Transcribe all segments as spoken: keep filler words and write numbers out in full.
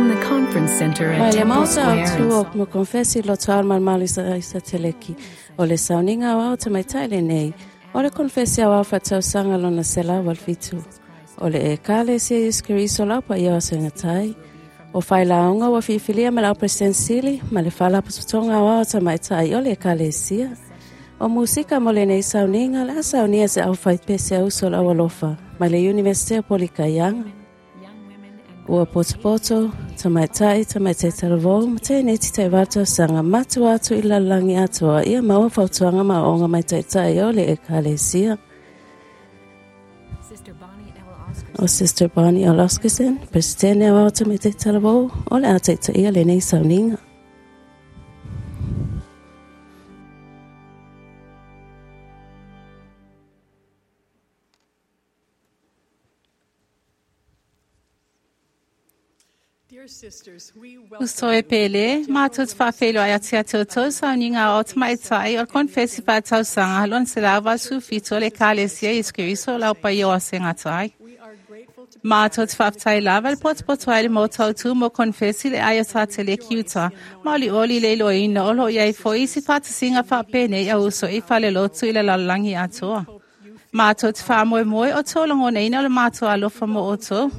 From the conference center at Mai le Temple maota Square au in tu o mo konfesi loto al malmalu isa, isa teleki. O le sauniga o au tamaitai lenei. O le konfesi au au faatausaga lona selau valu fitu. O le Ekalesia Iesu Keriso lau paia o asoigatai. O failaoga ua filifilia ma le au Peresetene ma le Faalapotopotoga Aoao o Tamaitai o le Ekalesia. O musika mo lenei sauniga le a saunia se au faipese a uso o le aualofa mai le Iunivesite o Polikaiaga. Ua potopoto, tamaitai, tamaitai talavou, ma teineiti taivalu tausaga matua atu i le lalolagi atoa ia maua fautuaga ma aoaoga mai taitai o le Ekalesia. Sister Bonnie L. O Sister Bonnie L. Oscarson, Peresetene Aoao Tamaitai Talavou, o le a taitaia lenei sauniga. Dear sisters, we welcome Uso e pele, mātou te whawhelo ai ati atu tau sauniga o tamaitai o le konfesi whātausaga lona selau valu sefulu fitu o le Ekalesia Iesu Keriso lau paia o aso e gata ai. We are grateful to Mātou te whawhetai lava le potopoto ai le mautautu mo konfesi le aia tāteleki uta. Maoli oli le iloina o lo o iai foi isi whātasiga whaapenei a uso i fale lotu i le lalolagi atoa. Mātou te whāmoemoe o tō lagonaina o le mātou alofa mo outou.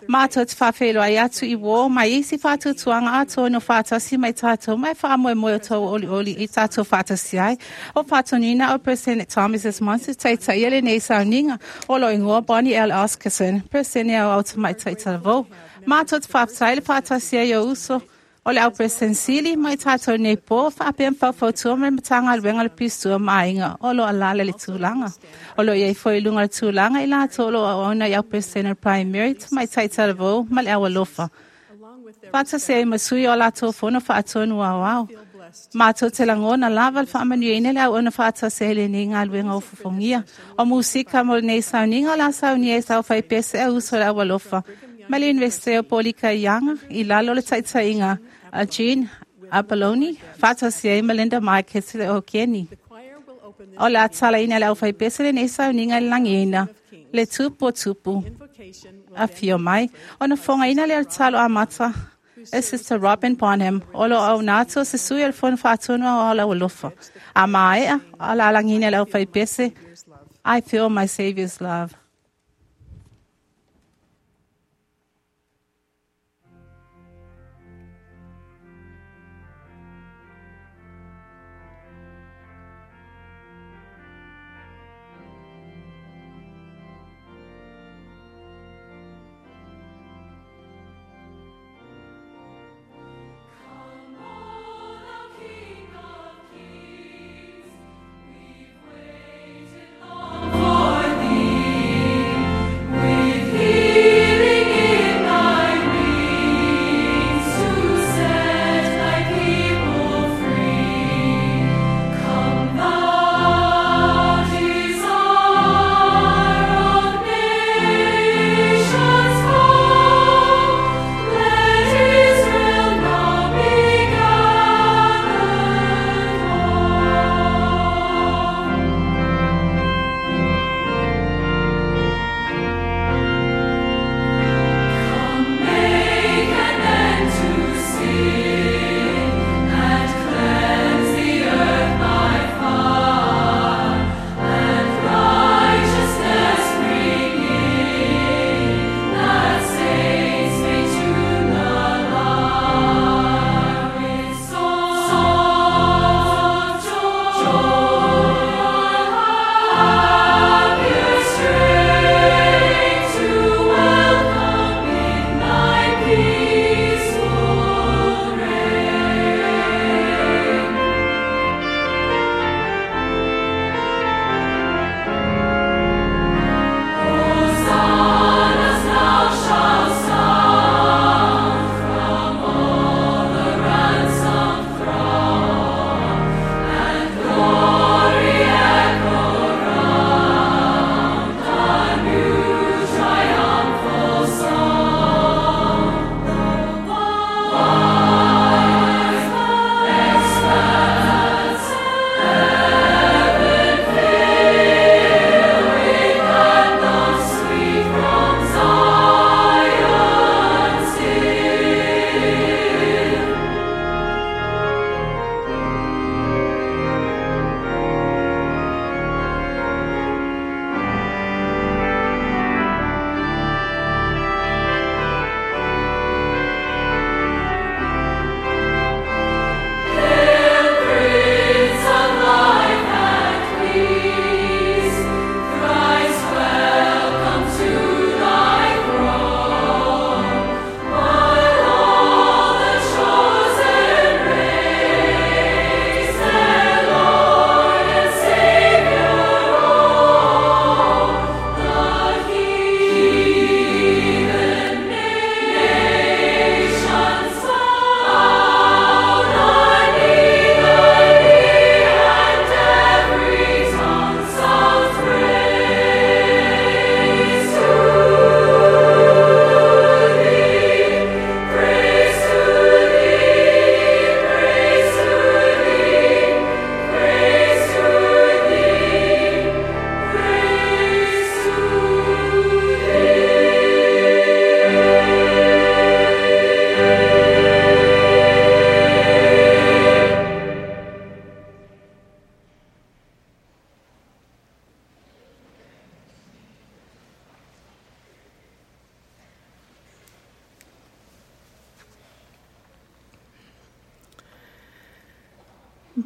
Mātou te whawhelo ai atu i wō mai isi whātutuanga atoa no whātasi mai tātou mai whāmoemoe o tō oli oli i tātou whātasi ai. O whātonina o President Thomas S. Monson taitaia lenei sauniga o lo ingoa Bonnie L. Oscarson, President au au tamaitai talavou. Mātou te whawhetai le whātasi ai o uso o le au President Sili mai tātou nei pō whaapea whaufautua me matanga luenga le pistua maaiga o lo alala le tulaga. O lo iai foi i luga o le tulaga i latou o lo o auauna i au President Primary tamaitai talavou ma le au alofa. along with their Faatasi ai ma sui o latou fono faatonu aoao. feel blessed. Mātou te lagona lava le faamanuiaina le auauna faatasi ai lenei galuega o fofogia. O musika mo lenei sauniga o la saunia e sau faipese a uso o le au alofa. Ma le Iunivesite o Polikaiaga i lalo o le taitaiga a Jean Apolloni, faatasi ai ma Linda Michaels le o Keni. The choir will open O le a talaina le au faipese lenei sauniga i le lagiina, le tupu o tupu. the invocation will A fio mai, ona fogaina le talo amata e Sister Robin Bonham, o lo au nato se sui o le fono faatonu au au alofa. A maea, a la alagina le au faipese, I feel my Savior's love. King of Kings, we've waited long for thee.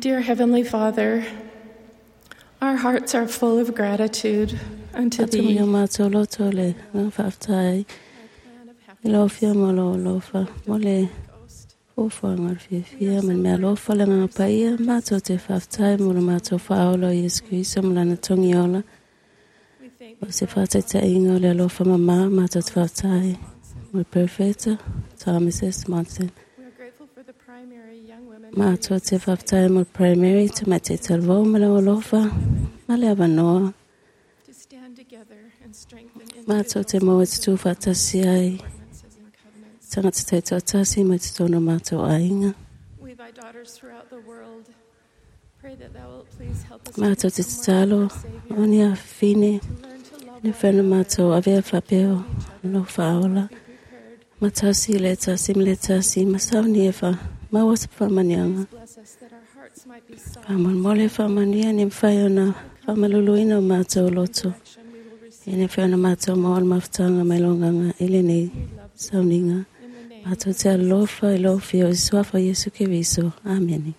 Dear Heavenly Father, our hearts are full of gratitude unto Atu mi Thee. o mātou loto le ngā whaaftai. I lo fia mo lo lofa mo le fuafuaga o le fiafia ma le mealofa le agaga paia matou te faafetai mo le matou faaola o Iesu Keriso ma lana togi ola o se faataitaiga o le alofa mamā matou te faafetai mo le Perofeta Thomas S. Monson. We are grateful for the primary young women Matou te faafetai mo le primary tamaitai talavou ma le alofa ma le avanoa to stand together and strengthen matou te individuals maua e tutū faatasi ai ordinances and covenants. tagata taitoatasi mai totonu o matou aiga. We, thy daughters throughout the world, pray that thou wilt please help us to Matou te become more tatalo like our Savior, o ni afafine to learn to love le one whena another, matou avea faapea o lo faaola. be prepared. Matasi le tasi ma le tasi, ma sauni e wha, maua se whamanianga. Bless us that our hearts might be soft. Whamolmole whamania ni mwhai ona whamaluluina o mātou loto. Direction we will receive E ne whai ona mātou maol mafutanga mai longanga i le nei sauniga. in the name Mātou te alofa i lo fio i suafa Iesu Keriso. Amene.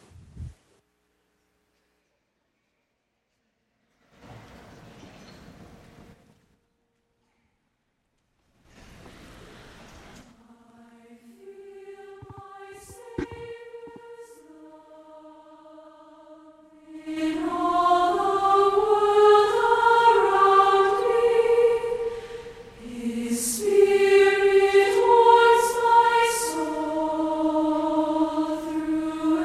In all the world around me, His Spirit warms my soul through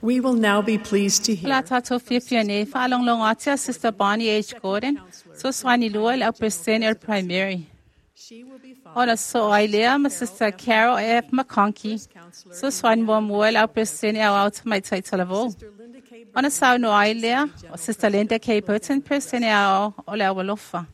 We will now be pleased to La hear tātou fiafia nei, whaalonglongo atia Sister Bonnie H. Gordon, so swani lua i le au presene o le primary. She will be followed Ona so ai lea ma Sister Carol F. McConkie, so swani mua mua i le au presene au au tamai taitalavou. Sister Linda K. Ona sau no ai lea, o Sister Linda K. Burton, presene au o le au alofa.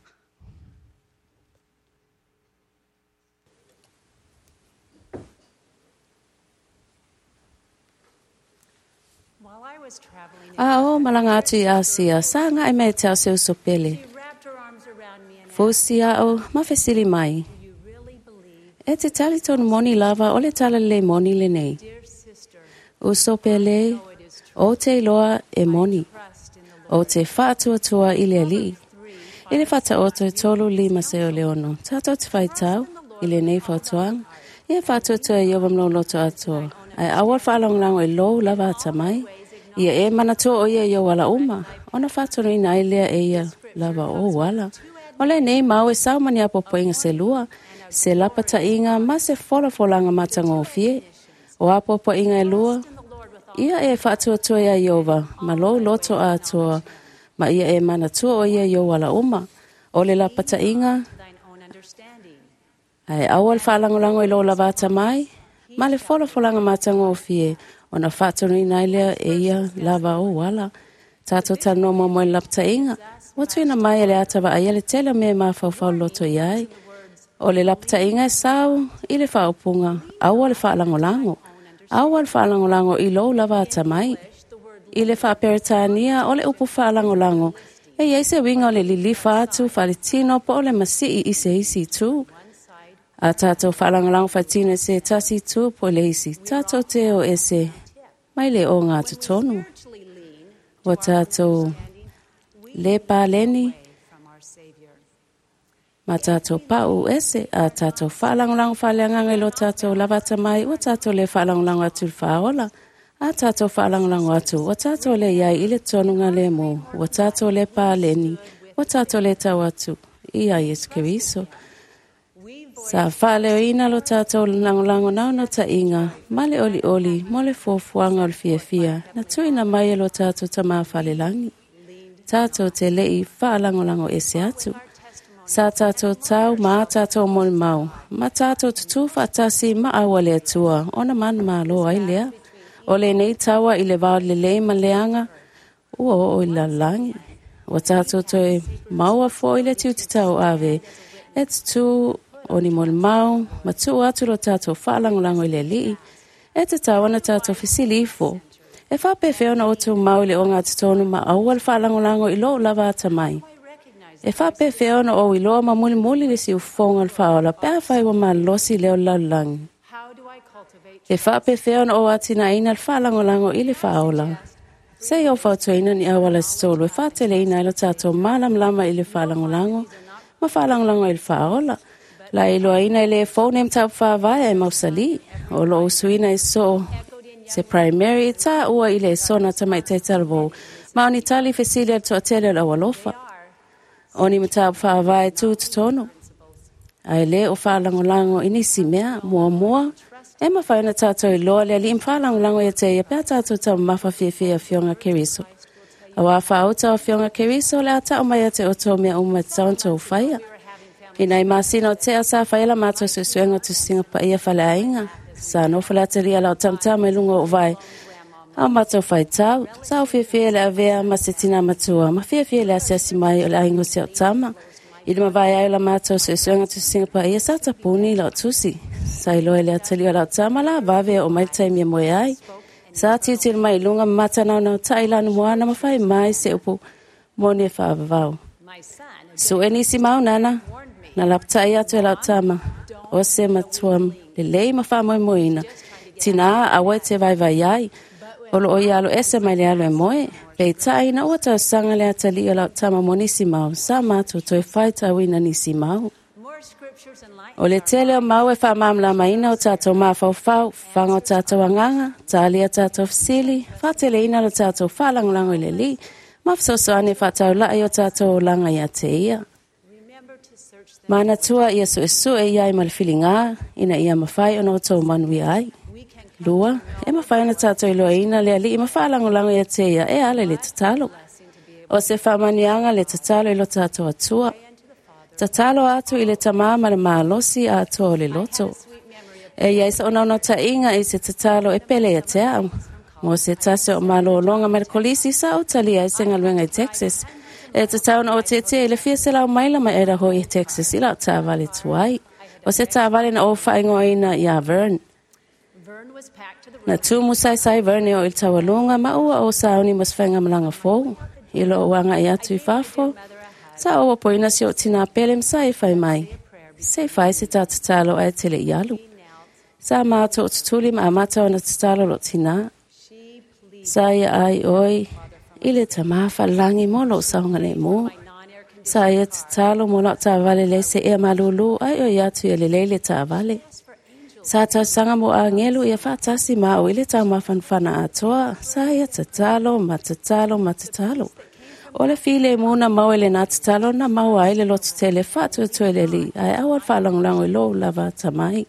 While I was traveling, A o malanga atu i Asia, sa ngai me te au se uso pele. she wrapped her arms around me and asked, Fusi ao, ma fesili mai. Do you really believe, E te tali tonu moni lava o le tala le moni le nei. dear sister, Uso pele, it is true. o te iloa e moni. Trust in the Lord. O te whaatuatua i le alii. I le whata o te tolu lima se o le ono. Tātou te whaitau, i le nei whautuanga. Ia whaatuatua i ova mlo loto atoa. Ai awal whaalonglango i lou lava ata mai. Ia e manatua o ia i o wala uma. Ona whātonu ina ai lea e ia lava o wala. O le nei mau e sau mani apo poinga se lua. Se lapata inga ma se folafolanga matangofie. O apo poinga e lua. Ia e whaatuatua ia Iova, ma lou loto atoa, ma ia e manatua o ia i o wala uma. O le lapata inga, Thine own understanding. ai awal whaalangolango i lou lava ata mai, ma le folafolanga matangofie, ona whaatonu ina ai lea e ia lava o wala. Tātou tanoa mo moe lapata inga, wa tuina mai e le atava ai le tele me mawhauwhau loto i ai. O le lapata inga e sau i le whaopunga, aua le whaalangolango. Aua le whaalangolango i lou lava ata mai. I le whaaperetania o le upu whaalangolango. E iei se winga o le lilifa atu whaletino po o le masii i se isi tū. A tātou whaalangolango whaitino se tasi tū po le isi. Tātou te o ese mai le o ngā tutonu. Spiritually lean Wa tātou le pāleni from our Savior. ma tātou pau ese a tātou whaalangolango whaaleanganga i lo tātou lavata mai ua tātou le whaalangolango atu le whaola. A tātou whaalangolango atu ua tātou le iai i le tonunga le mō ua tātou le pāleni ua tātou le tau atu i a Iesu Keriso. Sa whaaleoina lo tātou langolango nau no ta inga, ma le oli oli, mo le fuafuaga o le fiafia, na tuina mai e lo tātou tamā whalelangi. Tātou te lei whaalangolango ese atu. Sa tātou tau ma tātou moli mau, ma tātou tutu whaatasi ma aua le atua, ona mana malo ai lea. O le nei taua i le vao le lei ma leanga, ua o i lalangi. Ua tātou toe maua fo i le tiuti tau ave, e tutu o ni moli mau, ma tuu atu lo tātou whaalangolango i le lii, e te tau ana tātou fisili ifo. E whapewheo na o tō mau i le o ngā titonu ma aua le whaalangolango i lou lava ata mai. E whapewheo na o i loa ma muli muli le si ufonga le whaola, pea whai wa malosi leo lalulangi. How do I cultivate E whapewheo na o atina ina le whaalangolango i le whaola. Se i o whautuaina ni awala sitolu, e whātele ina i lo tātou mālamlama i le whaalangolango, ma whaalangolango i le whaola. La i loa ina i le fōne mtau whāwae e mausali, o lo usuina i so se primary tā ua i le sona tamai te talvou. Ma oni tali fesili al toatele o la alofa. O ni mtau whāwae tū tutono. Ai le o whaalangolango i nisi mea, mua mua, e mawhai na tātou i loa le ali im whaalangolango i te ia pea tātou tau mawha fiafia fionga keriso. Awa whaauta o fionga keriso le ata o mai ate o tō mea uma te taunto o whaia. Ina i masina o te asa whaela mātou susuenga tu singa pa ia whale ainga. Sa no whale ataria lau tamtama i lunga o vai. Au mātou whai tau, sa o fiafia le avea ma se tina matua, ma fiafia le asiasi mai o le aingo se o tama. I le mawai ai la mātou susuenga tu singa pa ia sa tapuni lau tusi. Sa iloe le atalia o lau tama la vave o mai tai mea moe ai. Sa tiutili mai i lunga matanau nau tai lanu moana ma whai mai se upu mone whaavavau. my son? So e nisi mau nana, na laptai atu e lau tama. O se matua le lei ma whamoemoeina. Tina awa e te vaivai ai. O lo o ia alo ese mai le alo e moe. Pei tai na ua tau sanga le atali o lau tama mo nisi mau. Sa mātou toe whai tauina nisi mau. More scriptures enlighten O le tele o mau e whaamamlamaina o tātou mawhauwhau, whanga o tātou anganga, tālia tātou fisili, whāteleina lo tātou whaalangolango i le li, ma whasosoane whātaulai o tātou o langa ia te ia. Remember to search the Mana tua ia su e su e iai ma le whilinga, ina ia mawhai ona o tō manuia ai. We can Lua, e mafai ona tātou iloaina le Alii ma faalagolago ia te ia e ala i le tatalo. O se faamanuiaga le tatalo i lo tātou Atua. Tatalo atu i le tamā ma le malosi atoa o le loto. E iai sa onaonautaiga i se tatalo e pele ia te au. Mo se tasi o malōlōga mai le kolisi sa ou talia ai se galuega i Texas. E tatau ona ou tietie i le fia selau maila mai Idaho i Texas i lau taavale tuai. O se taavale na ou faaigoaina iā Vern. Na tumu saisai Vern e oo i le taualuga ma ua ou sauni mo se faigamalaga fou. I lou agai atu i fafo, sa ou opoina si ou tinā pele ma sa e fai mai. Se i fai se tā tatalo ae te leʻi alu. Sa matou tutuli ma amata ona tatalo lou tinā. Sa ia ai ʻoe i le Tamā faalelagi mo lou saogalemu. Sa ia tatalo mo lau taavale leai se ea malūlū ae oi atu ia lelei le taavale. Sa tausaga mo agelu ia faatasi ma au i le taumafanafana atoa. Sa ia tatalo ma tatalo ma tatalo. O le filemu na maua i lenā tatalo na maua ai le lototele faatuatua i le Alii ae aua le faalagolago i lou lava atamai.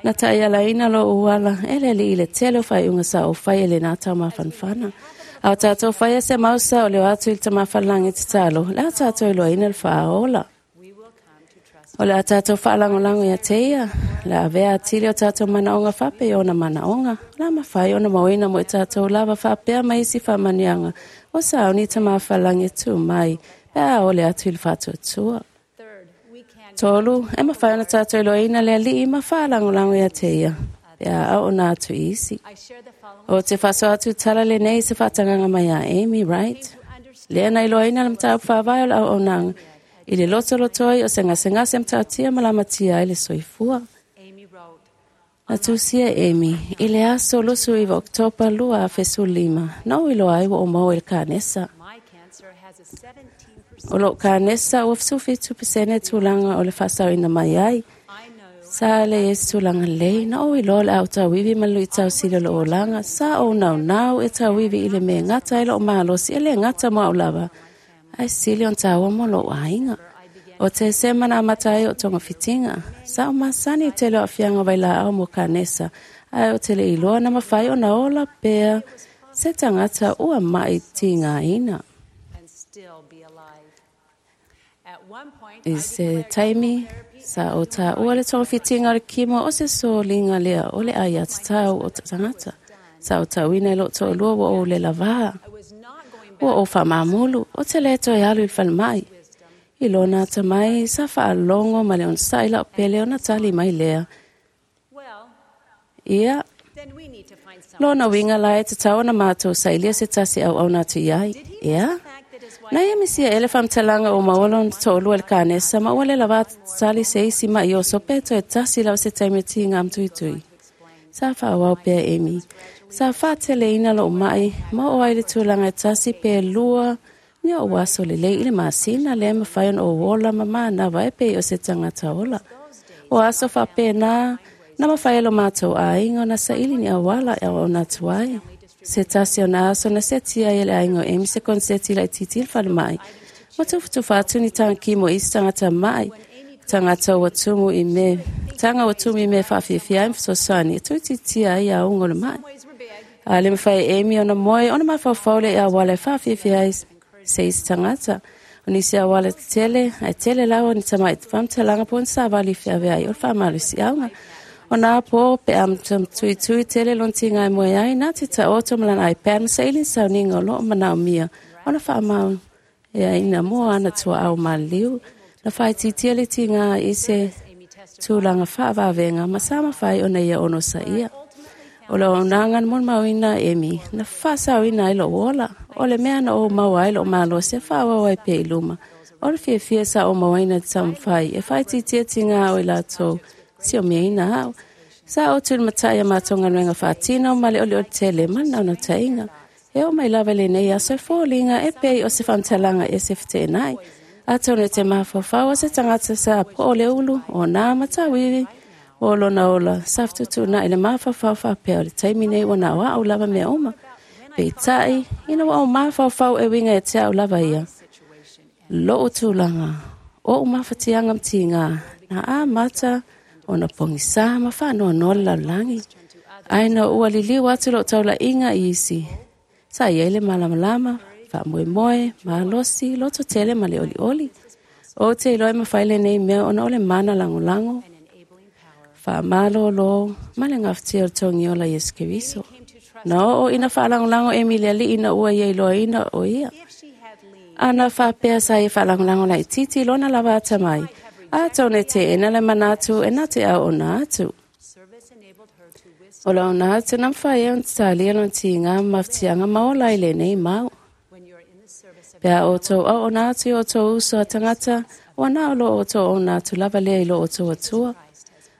Na taialaina lou ala e le Alii i le tele o faaiuga sa ou faia i lenā taumafanafana. A o tātou faia se mau sa o le o atu i le Tamā Falelagi tatalo, o le a tātou iloaina le faaola. O le a tātou faalagolago ia te ia, o le a avea atili o tātou manaoga faapea i ona manaoga, o le a mafai ona mauina mo i tātou lava faapea ma isi faamanuiaga o sauni i Tamā Falelagi e tu mai, pe a ole atu i le faatuatua. Tolu, e mafai ona tātou iloaina le Alii ma faalagolago ia te ia, pe a auauna atu i isi. O te faasoa atu tala lenei i se faatagaga mai ia Amy Wright. Lea na iloaina le mataupu faavae o le auaunaga i le lotolotoi o se gasegase matautia ma lamatia ai le soifua. Na tusia e Amy i le aso luasefu iva o Oketopa lua afe sefulu lima, na ou iloa ai ua ou maua i le kanesa. O lou kanesa ua fesufitu pasene tulaga o le faasaoina mai ai. Sa leai se tulaga lelei, na ou iloa o le a ou tauivi ma le luitau sili o lou olaga. Sa ou naunau e tauivi i le mea e gata ai lou malosi, e le gata mo au lava, ae sili ona taua mo lou aiga. O Tesema na amata ai o togafitiga. Sa ou masani i tele o aafiaga o vailaau mo kanesa, ae ou te le iloa na mafai ona ola pea se tagata ua maʻi tigaina. I se taimi, sa ou taua le togafitiga o le kimo o se soliga lea o le aiatatau o tagata. Sa ou tauina i lou toalua ua ou le lavā. Ua ou faamamulu, ou te le toe alu i le falemai. I lona atamai, sa faalogo ma le onosai lau pele ona tali mai lea. Ia, lona uiga la e tatau ona matou sailia se tasi auauna atu i ai. Ea? Na ia misia ea le faamatalaga ua maua lona toalua i le kanesa ma ua le lavā tali se isi maʻi oso pe toe tasi lava se taimi o tiga matuitui. Sa faaauau pea Amy. Sa faateleina lou maʻi ma oo ai i le tulaga e tasi pe lua ni ou aso lelei i le masina lea e mafai ona ou ola ma manava e pei o se tagata ola. O aso faapena na mafai e lo matou aiga ona saili ni auala e auauna atu ai. Se tasi o nā aso na setia ai e le aiga o Amy se koneseti laitiiti i le falemai ma tufatufa atu ni taga mo isi tagata maʻi, tagata ua tumu i mea taga ua tumu i mea e faafiafia ai ma fesoasoani e tuitiitia ai auga o le maʻi. A le mafai e Amy ona moe ona mafaufau lea i auala e faafiafia ai se isi tagata. O nisi auala tetele, ae tele lava ni tamaʻi faamatalaga po o ni savali i feaveai o le faamalosiauga. O nā pō pe a tuitui tele lona tiga e moe ai, na te taoto ma lana iPad ma saili ni sauniga o loo manaomia ona faamau eaina mo ana tuaau maliliu. Na faaitiitia le tiga i se tulaga faavavega ma sa mafai ona ia onosaia. O le auaunaga na molimauina e Amy, na faasaoina ai lou ola. O le mea na ou maua ai lou malosi e faaauau ai pea i luma. O le fiafia sa ou mauaina i te taumafai e faaitiitia tiga o i latou siomiaina au. Sa ou tulimatai a matou galuega faatino ma le olioli tele ma le naunautaiga. E oo mai lava i lenei aso e foliga e pei o se faamatalaga ese feteenai. Atonu e te mafaufau o se tagata sa po o le ulu, o nā ma tauivi, o lona ola, sa fetuutuunai le mafaufau faapea o le taimi nei ua na o au lava mea uma. Peitai, ina ua ou mafaufau e uiga ia te au lava ia. Lou tulaga, oʻu mafatiaga ma tiga, na amata ona pogisā ma faanoanoa le lalolagi. Ai na ua liliu atu lou taulaʻiga i isi. Sa i ai le malamalama, faamoemoe, malosi, loto tele ma le olioli. Ou te iloa e mafai lenei mea ona o le mana lagolago, faamalōlō ma le gafatia o le togiola Iesu Keriso. Na oo ina faalagolago Emi i le Alii ina ua ia iloaina o ia. Ana faapea sa ia faalagolago laitiiti i lona lava atamai, atonu e teena le manatu e na te auauna atu. O le auauna atu na mafai ai ona talia lona tiga ma mafatiaga ma ola ai lenei mau. Pe a outou auauna atu i o outou uso a tagata, ua na o lo outou auauna atu lava lea i lo outou Atua.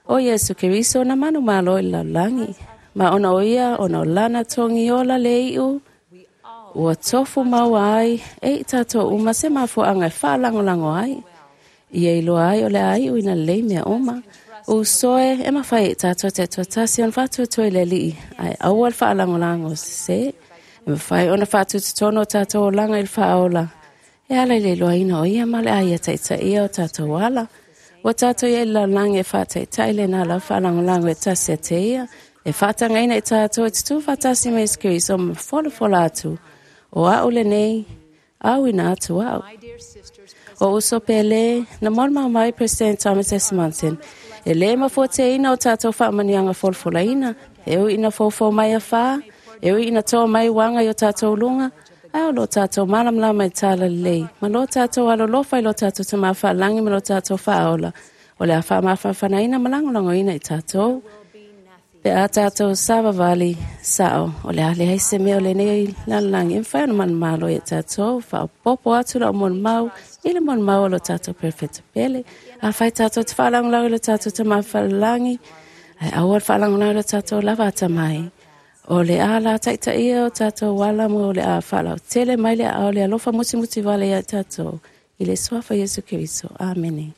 O Iesu Keriso na manumalo i le lalolagi, ma ona o ia ona o lana togiola le iu, ua tofu maua ai e i tatou uma se mafuaaga e faalagolago ai. Ia iloa ai o le a iu ina lelei mea uma. Uso e, e mafai e i tatou taitoatasi ona faatuatua i le Alii, ae aua le faalagolago sesē. E mafai ona faatututonu o tatou olaga i le faaola, e ala i le iloaina o ia ma o le a ia taitaia o tatou ala. Ua tatou i ai i le lalolagi e faataitai lena lava faalagolago e tasi ia te ia, e faatagaina i tatou e tutū faatasi ma Iesu Keriso ma folafola atu, o a'u lenei, auina atu a'u. O uso pele, na molimau mai President Thomas S. Monson, e lē mafuateina o tatou faamanuiaga folafolaina, e ui ina foufou mai afā, e ui ina toa mai uaga i o tatou luga, ae o lo tatou malamalama i talalelei, ma lo tatou alolofa i lo tatou Tamā faalagi ma lo tatou faaola, o le a faamafanafanaina ma lagolagoina i tatou. Pe a tatou savavali sao, o le a leai se mea o lenei lalolagi e mafai ona manumalo ia tatou, faaopoopo atu lau molimau i le molimau o lo tatou perofeta pele. Afai tatou te faalagolago i lo tatou Tamā faalelagi, ae aua le faalagolago i lo tatou lava atamai. O le a la taitaia o tatou ala mo le a faalautele mai le aao le alofa mutimuti vale ia tatou. I le suafa Iesu Keriso. Amene.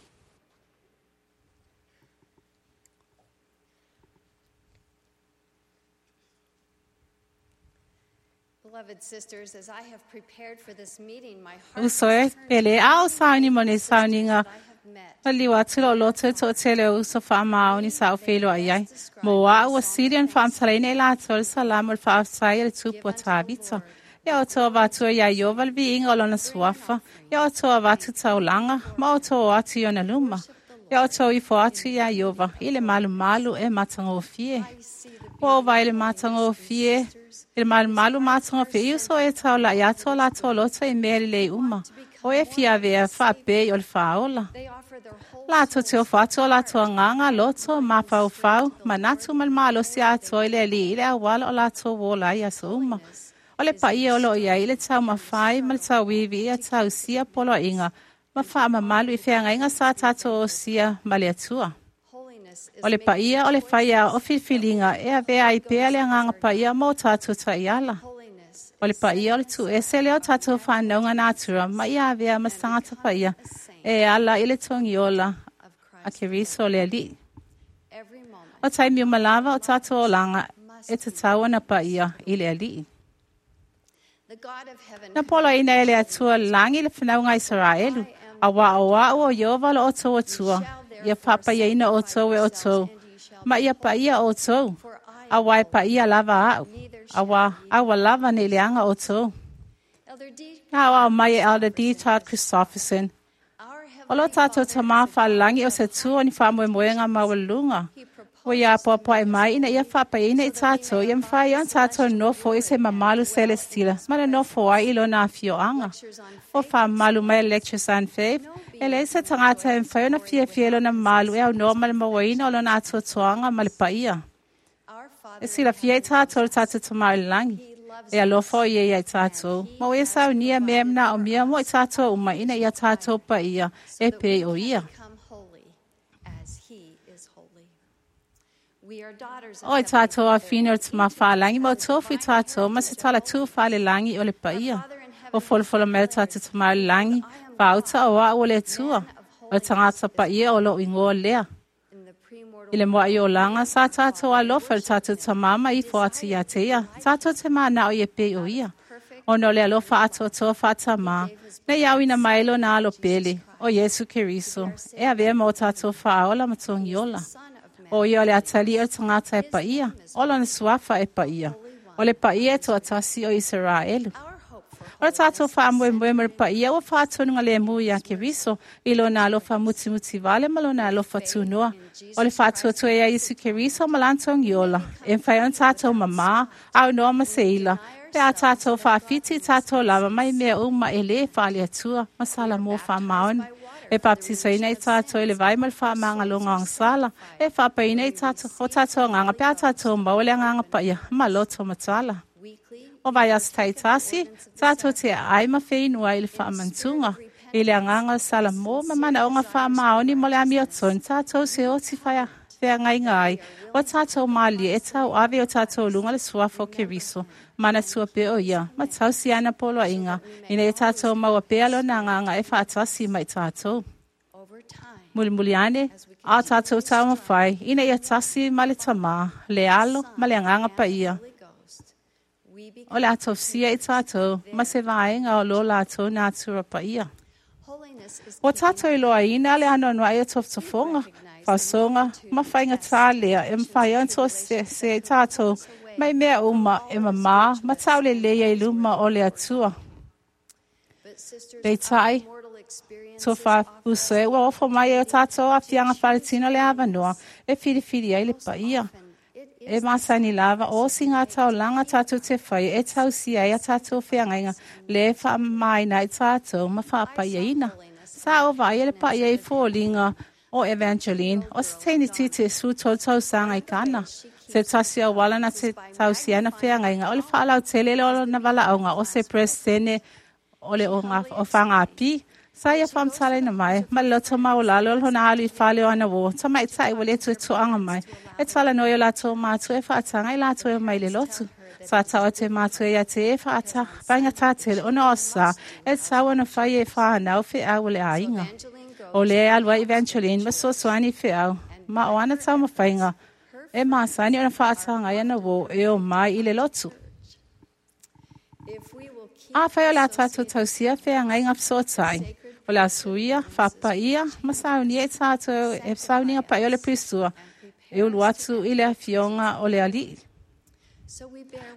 Beloved sisters, as I have prepared for this meeting, my heart Uso e pele a o sauni mo ne sauniga I have met Ma liu atu lo loto e toatele o uso faamaoni sa o whenua i ai. Mo a ua siri an whaamtalaina i lātou le salamo le faafetai a le tupu a Tāvita. Ia o toa vatua ia Iova le viiga o lona suafa. Ia o toa vatu taulaga ma o toa atu i ona luma. Ia o toa ifo atu ia Iova i le malumalu e matagofie. Ua o vai le matagofie, i le malumalu matagofie i uso e taulai atu o latou loto i mea lelei uma. O e fiavea faapei o le faaola. They offer their whole Latou te ofo atu o latou agaga loto, mafaufau, manatu ma le malosi atoa i le Alii i le auala o latou ola ai aso uma. O le paia o loo i ai i le taumafai ma le tauivi ia tausia poloaiga ma faamamalu i feagaiga sa tatou osia ma le Atua. holiness is O le paia o le faia o filifiliga e avea ai pea le agaga paia mo tatou taiala. holiness O le paia o le tuese lea o tatou whanauga natura ma ia avea ma se tagata paia e ala i le togiola of a Christ. Keriso le Alii. Every moment O taimi uma lava o tatou olaga e tatau ona paia i le Alii. the God of heaven Na poloaina e le Atua lagi le whanauga Israelu, a wā o au o Iova lo outou Atua, ia faapaiaina outou e outou, ma ia paia outou, a wā e paia lava au, a wā aua lava nei leaga outou. Elder D. Na au mai e Elder D. Todd Christofferson, Our O lo heavenly tātou Father tamā whalangi o se tū o ni whaamoemoenga maualuluga. Ua ia apoapoai mai ina ia faapaia i tātou, ia mawhai ona tātou nofo i se mamalu celestila, ma le nofo ai i lona afioaga. O whaamalu mai Lectures on Faith, e leai se tagata e mafai ona fiafia i lona mamalu e aunoa ma le mauaina o lona atoatoaga ma le paia. Our Father E silafia i tātou le tātou tamā i le lagi. E alofa o ia ia i tātou. Ma o ia saunia mea e manaomia mo i tātou uma ina ia tātou paia e pei o ia. become holy as he is holy. We are daughters of O i heavenly tātou a Father. whina o te mawhālangi, ma o tōfu i tātou, ma se tala tū whale langi o le paia. O folofolo mea tātou te mauri langi, whauta o a o le atua, o tangata paia o lo ingoa lea. In the premortal I le moa i o langa, sa tātou alofa le tātou tamama i fo atu ia te ia, tātou te mānao i e pei o ia. O no le alofa atoatoa whātamā, nei au ina maelo nā alo pele, o Iesu Keriso, e avea mō tātou whaaola ma tongiola. Son of Man, O ia o le atali o le tagata e paia, o lona suafa e paia. O le paia e toatasi o Iseraelu. O le tātou whaamoemoe mo le paia ua whaatonuga le mu ia Keriso i lona alofa mutimuti vale ma lona alofa tunoa. O le whaatuatua ia Isu Keriso ma lantogi ola. E mwhai on tātou mamā, au noa ma seila. Pe a tātou whaafiti tātou lava mai mea uma e le whaale atua, masala mō whaamaoni. E baptisoina i tātou i le vai ma le whaamangaloga agasala. E whaapaina i tātou, o tātou anganga pe a tātou maua le anganga paia, ma loto matala. O vai aso taitasi, tātou te ai ma whenua i le whaamantunga. I le anganga o sala mō ma manaoga whaamaoni mo le amiotonu, tātou se oti whaia wheangainga ai. O tātou mālie e tau ave o tātou lunga le suafa o Keriso. Mana tua pe o ia, ma tausi ana poloaiga, ina e tātou maua pea lona anganga e whaatasi mai tātou. Mulimuli ane, a tātou taumafai, ina ia tasi ma le tamā, le alo ma le anganga paia. O le atofsia i tātou, ma se vaenga o lo lātou nātura paia. O tātou i loa ina le anoanoa i o tofotofoga, faosoga ma faiga tālea e mawhai ona toa se, se i tātou, mai mea uma e mamā, ma taulelei ai luma o le Atua. Peitai, toa whaapuso e ua ofo mai e o tātou aafiaga faaletino le avanoa e filifili ai le paia. E masani lava o si ngā taulanga tātou te whai e tausi ai a tātou wheangaiga le whaamaina i tātou ma whaapaiaina. Sa o vai e le paia i fōlinga o Evangeline o se teini titi su tolu tausaga i Kana. Se tasi o wala na te tausiana wheangaiga o le whaalau tele le o na valaauga o se presidente o le o ngā o whangapi. Sa ia whamtalaina mai, ma le loto maulalo o lona alu i whale o ana wō, tamai tai wa le tu e tuanga mai, e tala noi o lātou mātua e whaatanga i lātou e mai le lotu. Sa tau atu e mātua ia te e whaata, whainga tātele ona o sa, e tau ona whai e whanau wheau o le ainga. O le alua Evangeline ma sosoani wheau, ma o ana tau mawhainga, e māsani ona whaatanga i ana wō e o mai i le lotu. A whai o la tātou tausia wheangai ngā whasotai. O la suia, whapaia, ma saunia e tātou e sauninga pai o le prisua, e ulu atu i le afionga o le alii.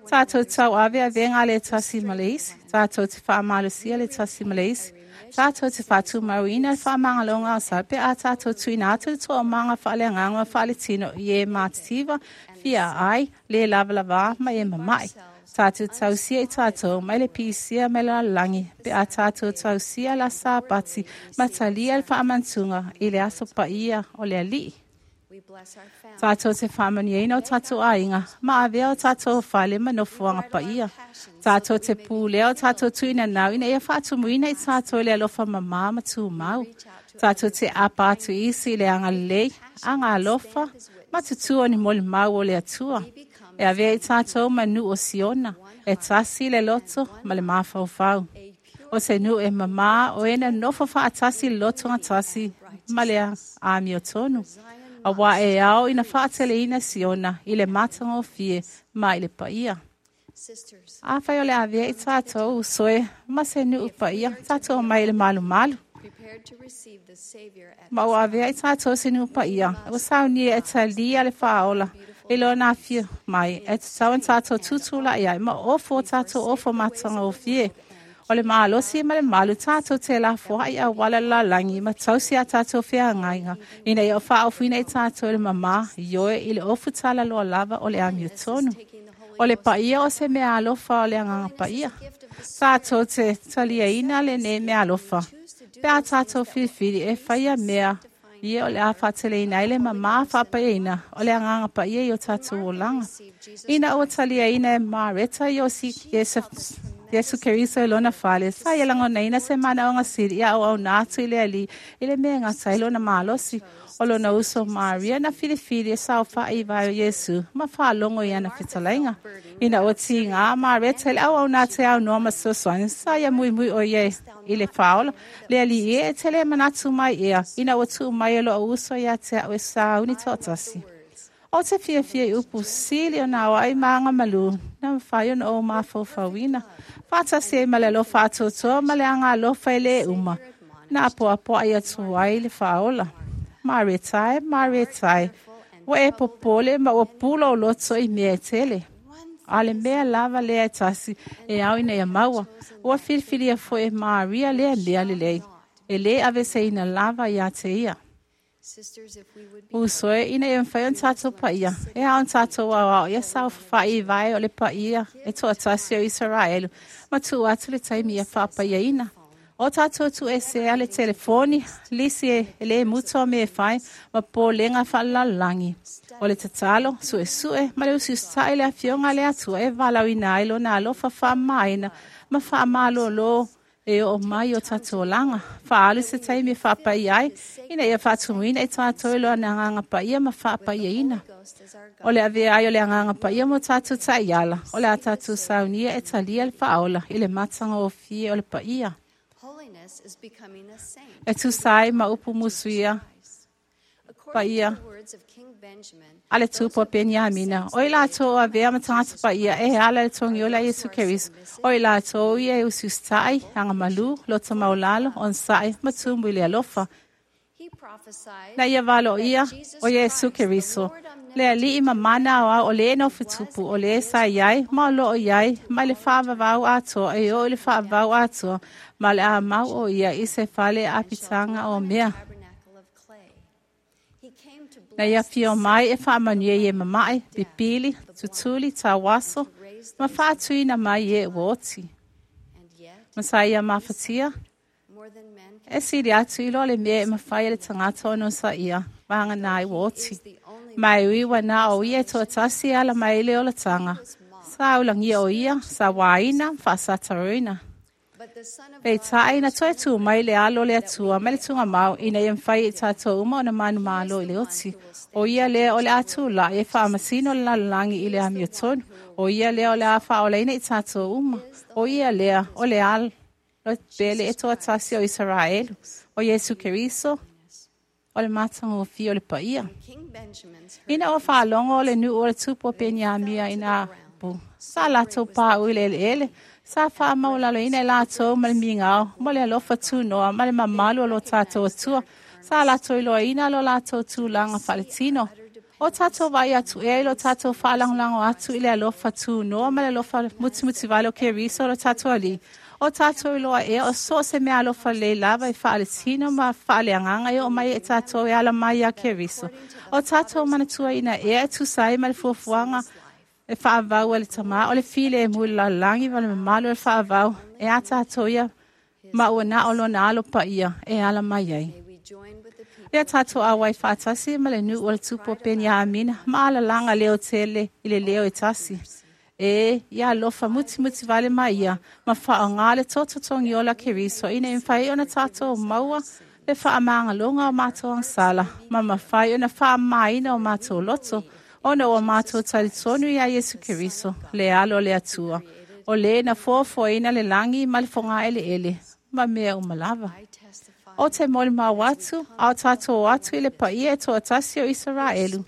Tātou tau ave avenga le tasi ma le isi, tātou te whaamalosia le tasi ma le isi, tātou te whātumauina le whaamangalonga o sape, a tātou tuina atu le toa manga whaaleanganga whaaletino i e mātitiva, fia ai, le lava ma e mamai. Tātou tausia i tātou, mai le pisia mai le langi, pe a tātou tausia la sāpati, matalia le whaamantunga i le aso paia o le alii. Tātou te whaamaniaina o tātou ainga, ma avea o tātou whale manofuanga paia. Tātou te pūlea o tātou tuina nau, ina ia whaatumuina i tātou le alofa mamā ma tūmau. Tātou te apa atu isi le anga lei, anga alofa, ma tutua ni moli mau o le atua. E avea i tātou manu o Siona, e tasi le loto ma le mafaufau. O se nu e mamā o ena nofo whaatasi le loto ngā tasi ma le amio tonu. A wā e ao ina whaatele ina Siona i le matanga o fie ma i le paia. A whai o le avea i tātou usoe ma se nu paia, tātou mai le malu malu. Ma o avea i tātou se nu paia, o saunia e talia le whaola, i lona afio mai, e te tau tātou tutula ia, ma ofo tātou ofo matanga o fie. O le mālosi ma le malu tātou te la foa i a wala la langi, ma tausi a tātou whiangainga, ina i o whaofuina i tātou le mamā, ioe i le ofu tala loa lava o le amio tonu. O le paia o se mea alofa o le anganga paia. Tātou te taliaina le ne mea alofa. Pe a tātou whiwhiri e whaia mea, ia o le a whaateleina i le mamā whaapaiaina o le anganga paia i o tātou olanga. Ina o taliaina e Mareta i o si Yesu, Yesu Keriso e lona whale, sa ia langonaina se mana o ngā siri ia o au nātu i le ali, i le mea ngā tai lona mālosi, o lona uso Maria na whiriwhiri e sao wha vai o Yesu, ma whaalongo i ana whitalainga. Ina o ti ngā Mareta i le au au nā te au noa masosoani, sa ia mui mui o ie i le whaola, le ali e e te le manatu mai ea, ina o tū mai e lo uso ia te au e sauni tōtasi. O te fia fia i upu sili o nā ai maanga malu, na mwhai ona o mawhauwhauina. Whātasi e male alofa atotoa, male anga alofa e le uma. Nā apo apo ai atu ai le whaola. Maretai, maretai, Ua e popole ma ua pula o loto i mea e tele. A le mea lava lea e tasi e au ina ia maua. Ua filifilia fo'i e Maria lea mea lelei. E lē aveseina lava iā te ia. Uso e ina ia mafai ona tatou paia. E ao ona tatou aoao ia saofafai i vae o le paia e toatasi o Isaraelu ma tuu atu le taimi ia faapaiaina. O tatou tuuesea le telefoni, lisi e lē muta o mea e fai ma polega faalelalolagi. O le tatalo, suesue ma le usiusita'i le afioga a le Atua e valaauina ai lona alofa faamamaina ma faamalōlō e oo mai o tatou olaga. Faaalu se taimi e faapaia ai, ina ia faatumuina i tatou i lona agaga paia ma faapaiaina. O le avea ai o le agaga paia mo tatou taiala, o le a tatou saunia e talia le faaola i le matagofie o le paia. E tusa ai ma upu musuia paia a le tupu o Peniamina. O i latou o avea ma tagata paia e ala i le togiola a Iesu Keriso. O i latou ia e usiusitai, agamalu, loto maulalo, onosai ma tumu i le alofa. Na ia valoia o Iesu Keriso, le alii ma mana aoao o lē nofotupu, o lē sa iai ma o loo iai mai le faavavau atoa e oo i le faavavau atoa ma le a mau o ia i se fale apitaga o mea. Na ia fio mai e faamanuia i e mamae, pipili, tutuli, tauaso, ma faatuina mai e ua oti. Ma sa ia mafatia, e sili atu i lo le mea e mafai e le tagata ona onosaia, vagana ai ua oti. Ma e ui ua na o ia e toatasi e ala mai i le olataga. Sa ulagia o ia, sa wāina, faasataroina. Peitai na toe tū mai le alo le Atua mai le tugamau ina ia mafai i tatou uma ona manumalo i le oti. O ia lea o le a tula'i e faamasino le lalolagi i le amiotonu. O ia lea o le a faaolaina i tatou uma. O ia lea o le alo pele e toatasi o Isaraelu. O Iesu Keriso, o le matagofie o le paia. Ina ua faalogo o le nuu o le tupu o Peniamia ina upu. Sa latou pā'u i le eleele, sa faamaulaloina e latou ma le migao, ma le alofa tunoa, ma le mamalu o lo tatou Atua. Sa latou iloaina lo latou tulaga faaletino. O tatou vaai atu ea i lo tatou faalagolago atu i le alofa tunoa ma le alofa mutimutivale o Keriso o lo tatou Alii. O tatou iloa ea o so o se mea alofa lelei lava e faaletino ma faaleagaga e oo mai e tatou e ala mai iā Keriso. O tatou manatuaina ea e tusa ai ma le fuafuaga e faavau e le tamā o le file e mu i le lalolagi ma le mamalu o le faavau e a tatou ia ma ua na o lona alo paia e ala mai ai. Ia tatou auai faatasi ma le nuu o le tupu o Peniamina ma alalaga leo tele i le leo e tasi. E ia alofa mutimutivale mai ia ma faaogā le tototogiola Keriso ina ia mafai ona tatou maua le faamagaloga o matou agasala ma mafai ona faamamaina o matou loto ona ua matou talitonu iā Iesu Keriso, le alo o le Atua, o lē na foafoaina le lagi ma le fogaeleele ma mea uma lava. O te molimau atu, a o tatou o atu i le paia e toatasi o Isaraelu,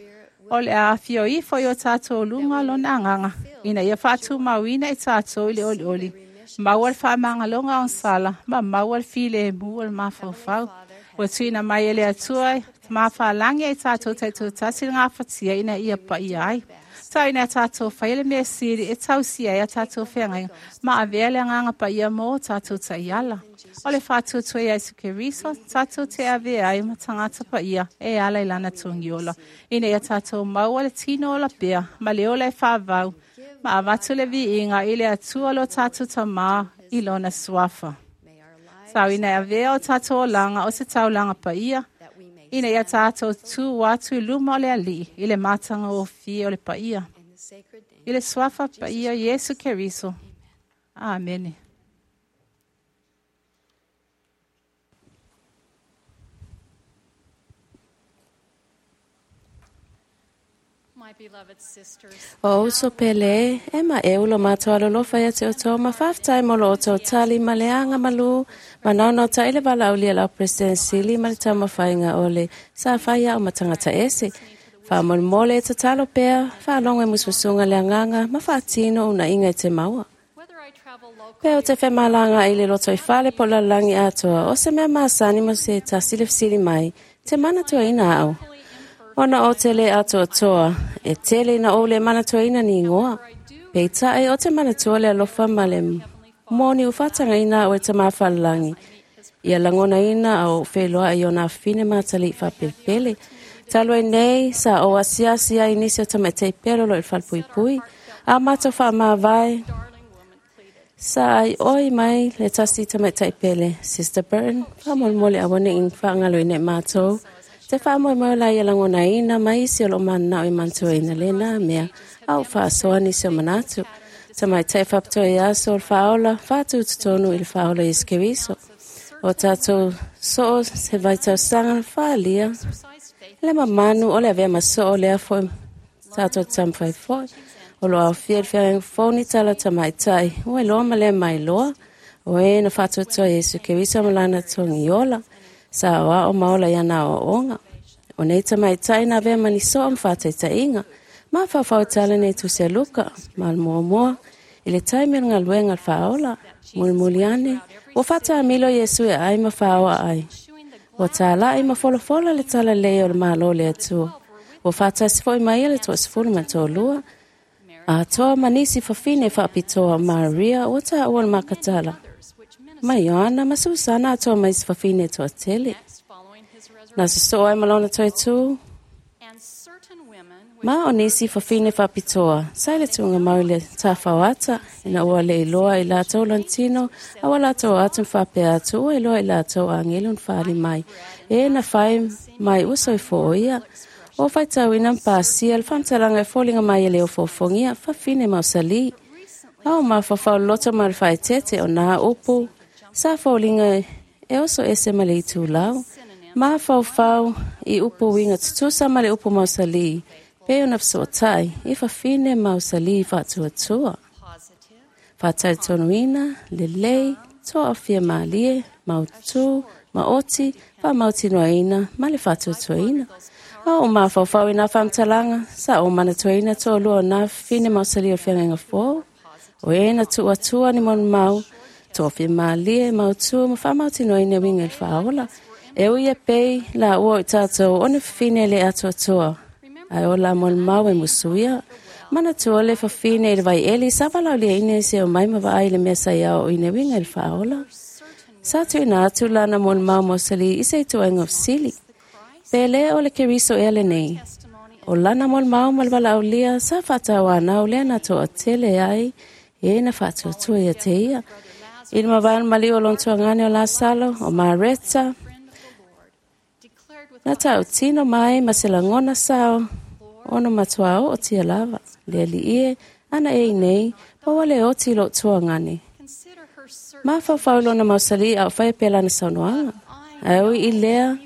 o le a afio ifo i o tatou luga lona agaga, ina ia faatumauina i tatou i le olioli, maua le faamagaloga agasala ma maua le filemu o le mafaufau. Ua tuuina mai e le Atua mafalagi ai tatou taitoatasi le gafatia ina ia paia ai. Tau ina tatou faia le mea sili e tausia ai a tatou feagaiga ma avea le agaga paia mo o tatou taiala. O le faatuatua ia Iesu Keriso, tatou te avea ai ma tagata paia e ala i lana togiola. Ina ia tatou maua le tino ola pea ma le ola e faavau ma avatu le viiga i le Atua lo tatou tamā i lona suafa. Tau ina e avea o tatou olaga o se taulaga paia, ina ia tatou tū atu i luma o le alii i le matagofie o le paia. I le suafa paia Iesu Keriso. Amene. My beloved sisters, O uso pele, e ma e ulo matou alolofa ia te outou ma faafetai mo lo outou tali ma le agamalu ma naonao taʻi le valaaulia a lau President Sili ma le taumafaiga o le sa fai ao ma tagata ese. Faamolemole e tatalo pea, faalogo e musumusuga le agaga ma faatino unaiga e te maua. whether I travel Pe o locally te femalaga i le loto i fale po o le lalolagi atoa, o se mea masani mo se tasi le fesili mai, te manatuaina au. fully Ona o te le atoatoa, e tele ina ou le manatuaina ni igoa. Peitai o te manatua le alofa ma le moni ufatagaina o e tamafalelagi. Ia lagonaina a ou feiloai i ona afafine matali'i faapelepele. Talu ai nei sa ou asiasi ai i nisi o tamaitai pele o lo o i le falepuipui. A matou faamavae, sa ai oi mai le tasi tamaitai pele, Sister Burton, faamolemole aua ne i faagaloina i matou. Te faamoemoe la ia lagonaina ma isi o loo mananao i manatuaina lena mea, a o faasoa nisi o manatu. Tamaitai faapitoa i aso o le faaola, faatututonu i le faaola Iesu Keriso. O tatou soo se vaitausaga na faalia, le mamanu o le avea ma soo lea foi tatou taumafai foi. O lo aofia i le feagaiga fou ni tala tamaitai, ua iloa ma le mailoa, o e na faatuatua Iesu Keriso ma lana togiola, sa oao ma ola i ana aoaoga. O nei tamaitai na avea ma ni soo ma faataitaiga, ma faufau e tala nei tusi a Luka, ma le muamua, i le taimi o le galuega a le faaola, mulimuli ane, ua faatamilo Iesu e ai ma faaoa ai. Ua tāla'i ma folafola le talalelei o le Malo o le Atua. Ua faatasi foi mai ia le toasefulu ma le toalua. Atoa ma nisi fafine faapitoa Maria ua taua le Makatala. Ma Ioana ma Susana atoa ma isi fafine toatele. Na sosoo ai ma lona toe tu. Ma o nisi fafine faapitoa, sa i le tuugamau i le tafauata, ina ua le iloa i latou lona tino, a ua latou atu ma faapea atu, ua iloa i latou agelu na faali mai, e na fai mai ua soifua o ia. O faitauina ma pasia le faamatalaga e foliga mai e le ofoofogia, fafine mausali. A o mafaufau loto ma le faaeteete o nā upu, sa foliga e oso ese ma le itulau. Mafaufau i upu uiga tutusa ma le upu mausali, pe ona fesoatai i fafine mausali faatuatua. Faatautonuina, lelei, toafia malie, mautū, maoti, faamautinoaina ma le faatuatuaina. A o mafaufau i nā faamatalaga, sa o manatuaina toalua o nā fafine mausali o le feagaiga fou. O e na tuuatua ni molimau, toafia malie, mautū ma faamautinoaina uiga i le faaola. E ui e pei la ua o i tatou o ni fafine le atoatoa. Ae o la molimau e musuia, manatua le fafine i le vaieli sa valaauliaina i se o mai ma vaai le mea sa ia o ina uiga i le faaola. Sa tuuina atu lana molimau mausali i se ituaiga o fesili. Pe le o le Keriso ea lenei. O lana molimau ma le valaaulia sa faatauanau lea na toatele ai e na faatuatua ia te ia. I le mavae o le maliu o lona tuagane o Lasalo, o Mareta, na tautino mai ma se lagona sao, ona matua o tia lava, le alii e, ana e nei, pa ua le oti i lou tuagane. Mafaufau lona mausali a o fai pea lana saunoaga. Ae ui i lea,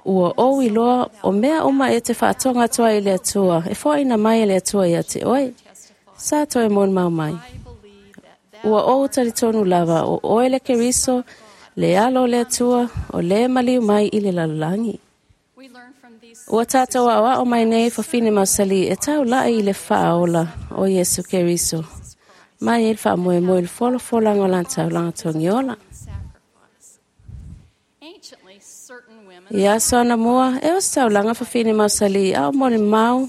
ua ou iloa o mea uma e te faatoga atu ai i le Atua, e foaina mai e le Atua ia te oe. Sa toe molimau mai. Ua ou talitonu lava o oe le Keriso, le alo o le Atua, o le maliu mai i le lalolagi. Ua tatou aoao mai nei fafine mausali e taulai i le faaola o Iesu Keriso. Mai e le faamoemoe i le folafolaga o lana taulaga togiola. I aso anamua, e o se taulaga fafine mausali a o molimau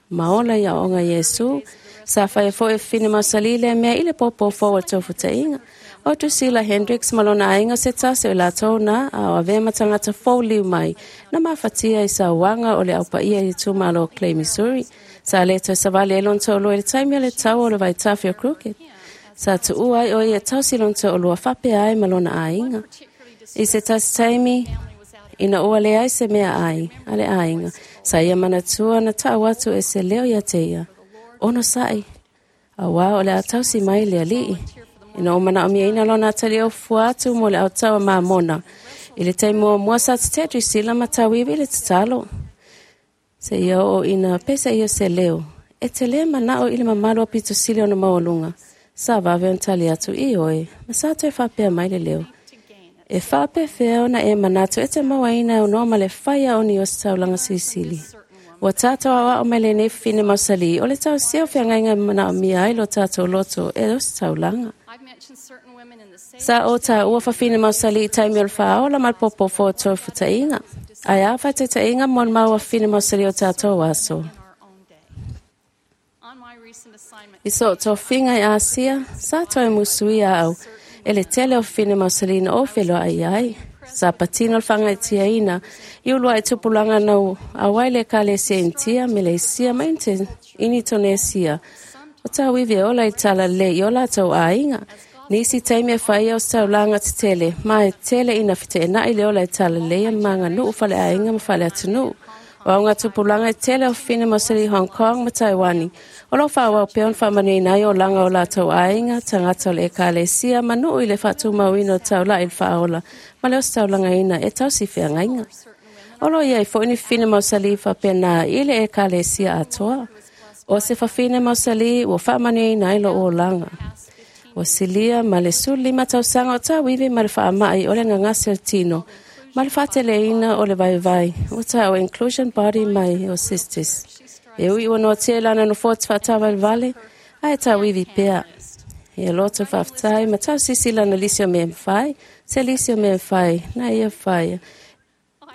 ma ola i aoaoga Iesu. Sa faia foi e fafine mausali lea mea i le popo fou o le tofutaiga. O Drusilla Hendricks ma lona aiga se tasi o i latou na a o avea ma tagata fou liu mai na mafatia i sauaga o le aupaia i le itumalo o Clay, Missouri. Sa le toe savali ai lona toalua i le taimi o le tau o le vaitafe o Crooked. Sa tuua ai o ia tausi lona toalua faapea ai ma lona aiga. I se tasi taimi, ina ua leai se mea ai a le aiga, sa ia manatua na tau atu e se leo ia te ia. Ono sa'i, auā o le a tausi mai le alii. Ina o manaomiaina lona atali o fua atu mo le autaua mamona. I le taimi muamua sa tetea Drusilla ma tauivi i le tatalo. Se ia oo ina pesa ia se leo. E te le manao i le mamalu o pitosili ona maualuga. Sa vave ona tali atu i oe, ma sa toe faapea mai le leo. E faapefea ona e manatu e te mauaina e unoa ma le faia o ni o se taulaga silisili. Ua tatou aoao mai lenei fafine mausali o le tausia o feagaiga e manaomia ai lo tatou loto e o se taulaga. Sa o taua fafine mausali i taimi o le faaola ma le popofo o tofutaiga. Ai a whaitetainga mo maua fine mausali o tātou aso. I so tō finga i Asia, sa toe musuia au, e le tele o fine mausalina o wheloa ai ai. Sa patino le ina, i ulua i tupulanga nau awai le kalesia intia, Meleisia ma Indonesia. O tau iwi e ola i tala le i ola tau ainga. Nisi taimi e whaia o taulanga te tele, ma e tele ina white e nai le ola i tala lea manga nuu whale ainga ma whale atu nuu. O au ngā tupulanga i tele o whina mausali Hong Kong ma Taiwani. O lo whaawau peon whamanui nai o langa o lātou ainga, tangata o le ekalesia, ma nuu i le whātumauina o taula i le whaola, ma le o taulanga ina e tausi whiangainga. O lo ia i fo ini whina mausali whapena i le ekalesia atoa. O se whawhine mausali ua whamanui nai lo o langa. O silia ma le suli matausanga o tauiwi ma le whaamai o le ngangase o tino, ma le whateleina o le vaivai, o tā o inclusion body mai o sisters. E ui ua noa tia lana no fōti whaatawal vale, a e tauiwi pea. E loto whaftai, ma tau sisi lana lisi o mea mwhai, se lisi o mea mwhai, na ia whaia.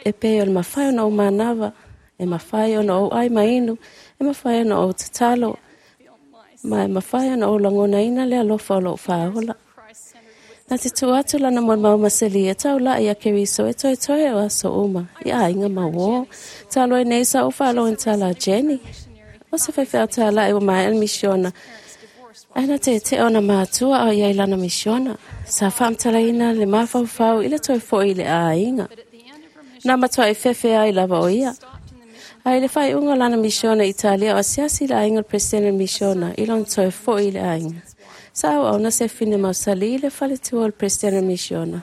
E pei o le mawhai ona o manawa, e mawhai ona o ai mainu, e mawhai ona o tatalo, ma e mawhai ona o langona ina le alofa o lou whaola. Na te tu atu lana mo mau maseli e tau la ia keriso e toi toi o aso uma. Ia inga mawo. Talo e nei sa o whalo en tala Jenny. O se whaiwhea tala e o mai el misiona. Aina te te ona mātua o ia ilana misiona. Sa whamtala ina le mawhau i le toi fo i le a inga. Nā matua e whewhea i lava o ia. A i le whai unga lana misiona Italia o asiasi le ainga le presidente misiona i lon toi fo i le ainga. Sa au au na se fine mausali i le faletua o le presidente misiona.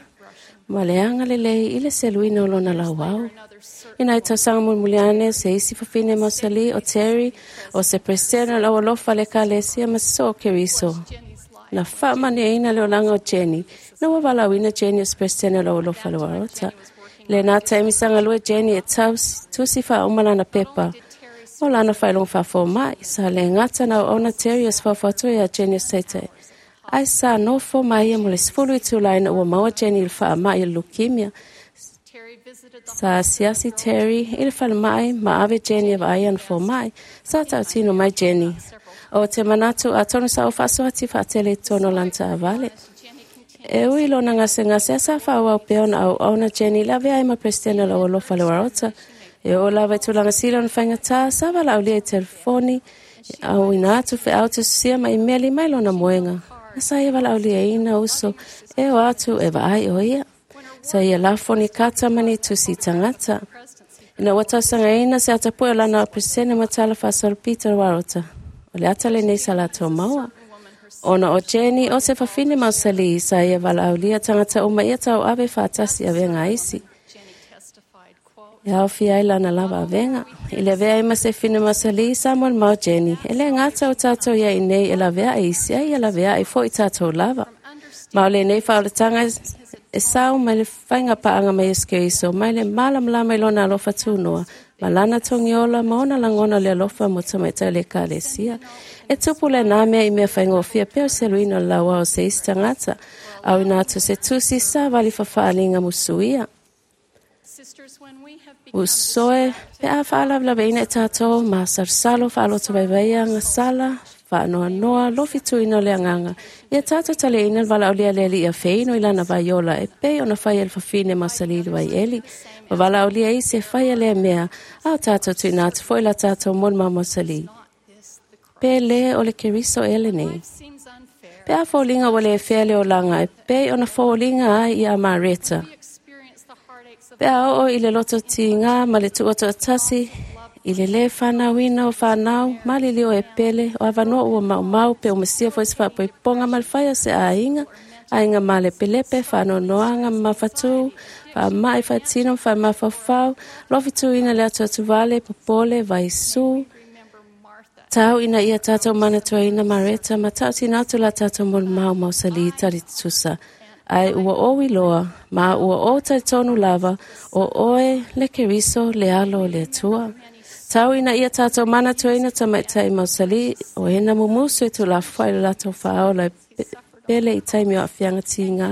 Ma le anga le lei i le seluina o lona lau au. Ina i tausanga mulmuliane se isi fafine mausali o Terry o se presidente lau alofa le kalesia ma so keriso. Na whaamane ina le olanga o Jenny. Na wavalauina Jenny o se presidente lau alofa le warota. Le nā taimi sangalue Jenny e tau tusi wha umalana pepa. O lana whailong whafo mai, sa le ngata na ona Terry o swawhatu ia Jenny o seite. Ai sa nofo mai e mo le sefulu i tulaina ua maua Jenny le wha mai leukemia. Sa siasi Terry i le whale mai, ma ave Jenny e vaai ana fo mai, sa tautino mai Jenny. O te manatu a tonu sa o whasoati whaatele tono lanta avale. E ui lona ngase ngase asa whaawau peona au auna Jenny la vea ima presidente la alofa le warota. E o lava i tūlanga sila ona whaingatā, sa wala aulia i telefoni, au ina atu whe au te susia ma imeli mai lona moenga. Na sa ia wala aulia ina uso, e o atu e vaai o ia. Sa ia lafoni kata mani tusi tangata. Ina watausanga ina se atapue o lana o presidente matala whasolo Peter Warota. O le atale nei sa lato maua. Ona o Jenny o se whawhine mausali sa ia wala aulia tangata uma ia tau ave whaatasi ave ngā isi. E au fia lana lava avenga. I le vea ima se fine mausali Samuel mau Jenny. E le ngata o tātou ia i nei e la vea e isi ai e la vea e fo i tātou lava. Ma o le nei whaolatanga e sau mai le whainga paanga mai eske iso mai le malamlama i lona alofa tūnoa. Ma lana tongiola ma ona langona le alofa mo tamaita le kalesia. E tupu le nā mea i mea whaingofia peo seluina laua o se isi tangata. Au ina atu se tusi sa wali whawhaalinga musuia. Usoe, pe a whaalavelaveina e tātou, ma sarsalo whaaloto vaivaia ngā sala, whaanoa noa, lofi tuina o le anganga. Ia tātou tale ina wala o lea leli ia wheino i lana vaiola, e pei ona whai el whawhine mausali vai eli. Ma wala o lea i se whai lea mea, a tātou tuina atu foi la tātou mon ma mausali. Pe le o le keriso ele nei. Pe a fōlinga o le e whea le o langa, e pei ona fōlinga ai i a Mareta. Pe a o i le loto ti ngā ma le tuoto atasi, i le le whanauina o whanau, ma le leo e pele, o awanoa ua mau mau pe o mesia fo se whapoiponga ma le whaia se ainga, ainga ma le pelepe, whanonoanga ma whatu, wha mai whatino, wha mawhawhau, lofi tuina le atu atu vale, popole, vaisu. Tau ina ia tātou manatua ina Mareta, ma tau tina atu la tātou mon mau mausali tari tusa. Ai ua owi loa, ma ua o tai tonu lava, o oe le keriso le alo le atua. Tau ina ia tātou manatua ina tamaitai mausali, o hena mumusu e tu la whai le lato whaola e pele i taimi o awhianga ti ngā.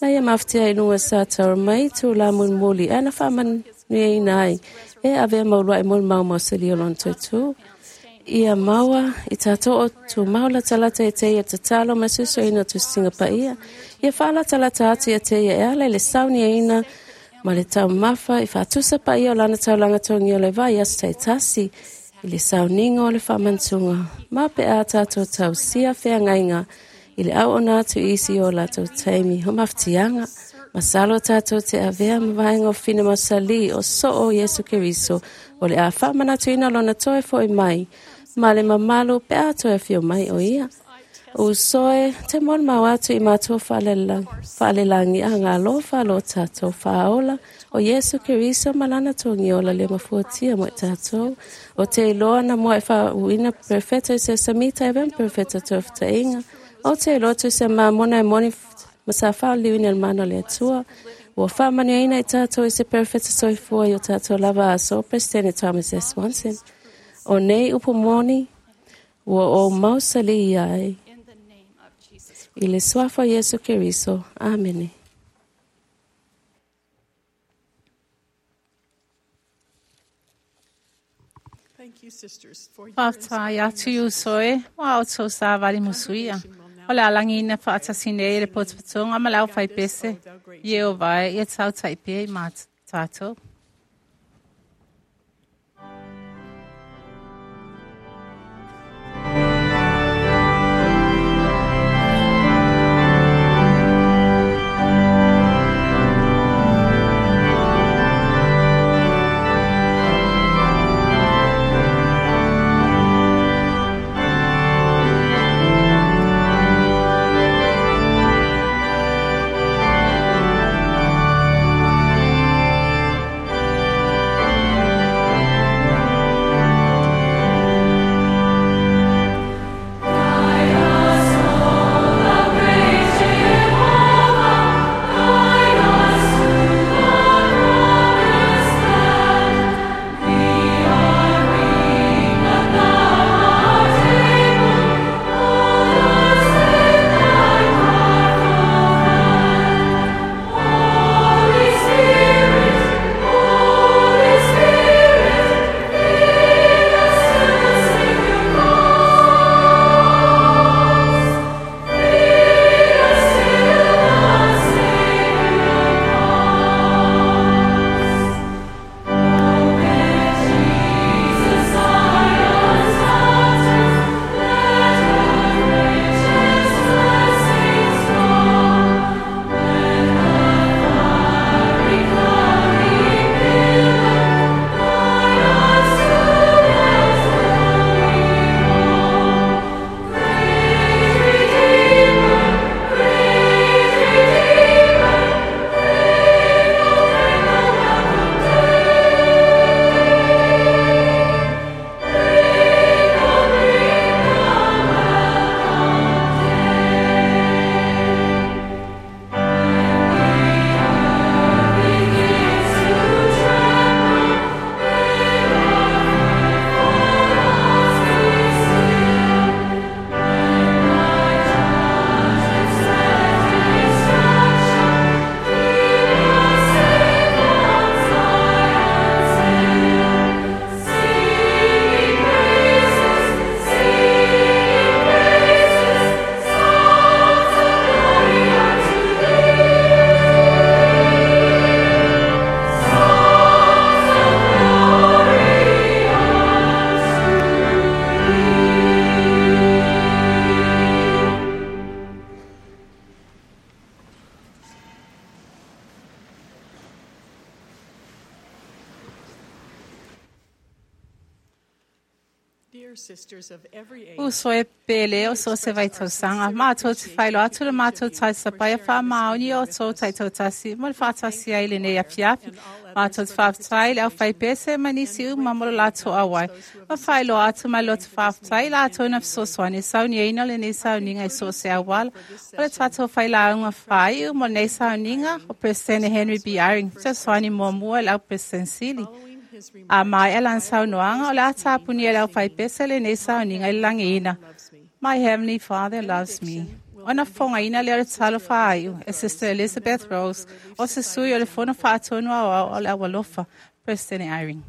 Na ia mawhtia i nunga sa tau mai tu la mulmuli, ana whaman nuiaina ai e avea ma ulua'i molimau mausali o lona toe tu. Ia maua i tatou o tumau latalata ia te ia tatalo ma susuina o tusitiga paia. Ia faalatalata atu ia te ia e ala i le sauniaina ma le taumafa i faatusa paia o lana taulaga togia o le vai aso taitasi i le sauniga o le faamanatuga ma pe a tatou tausia feagaiga i le auauna atu i isi o latou taimi o mafatiaga. Masalo tatou te avea ma vaega o fina mausali o soo Iesu Keriso o le a faamanatuina lona toe fo'i mai ma le mamalu pe a toe afio mai o ia. Usoe te molimau atu i matou faalelagi agalofa lo tatou faaola o Iesu Keriso ma lana togiola le mafuatia mo i tatou. O te iloa na mua e faauuina perofeta i se samita e avea ma perofeta toefutaiga. O te iloa tu se mamona e moni ma sa faaliuina le mana o le Atua. Ua faamanuiaina i tatou i se perofeta soifua i o tatou lava aso Presidente Thomas S. Monson. O nei upu moni ua ou mausali ia ai. In the name of Jesus I le suafa o Iesu Keriso. Amene. Thank you, sisters, for your Faafetai atu i uso e, ua outou savali musuia. O le alagina faatasina ai le potopotoga ma le aufaipese. Ieova e ia tautai pea i ma tatou. Dear sisters of every age, Uso e pele o so se vai tausaga. Mātou te whailo atu le mātou tausapaia wha maoni o tō taitautasi mo le whaatasi ai lenei afiafi. Mātou te whaafetai le au whaipese ma nisi uma mo le latou auai. Ma whailo atu mai lo te whaafetai latou na fesoasoani sauniaina o lenei sauniga i so se auala. O le tātou whailaunga whaiu mo lenei sauniga o Presidente Henry B. Eyring. Fesoasoani muamua le au President Sili. following his A remarks, mai e lan saunoaga o le a tāpuni e le au whaipese lenei sauniga i le langiina. loves me. My Heavenly Father loves me. Ona fongaina le o le talo whaaiu, e Sister Elizabeth Rose, o se sui o le fono whaatonu au au o le awalofa, President Eyring.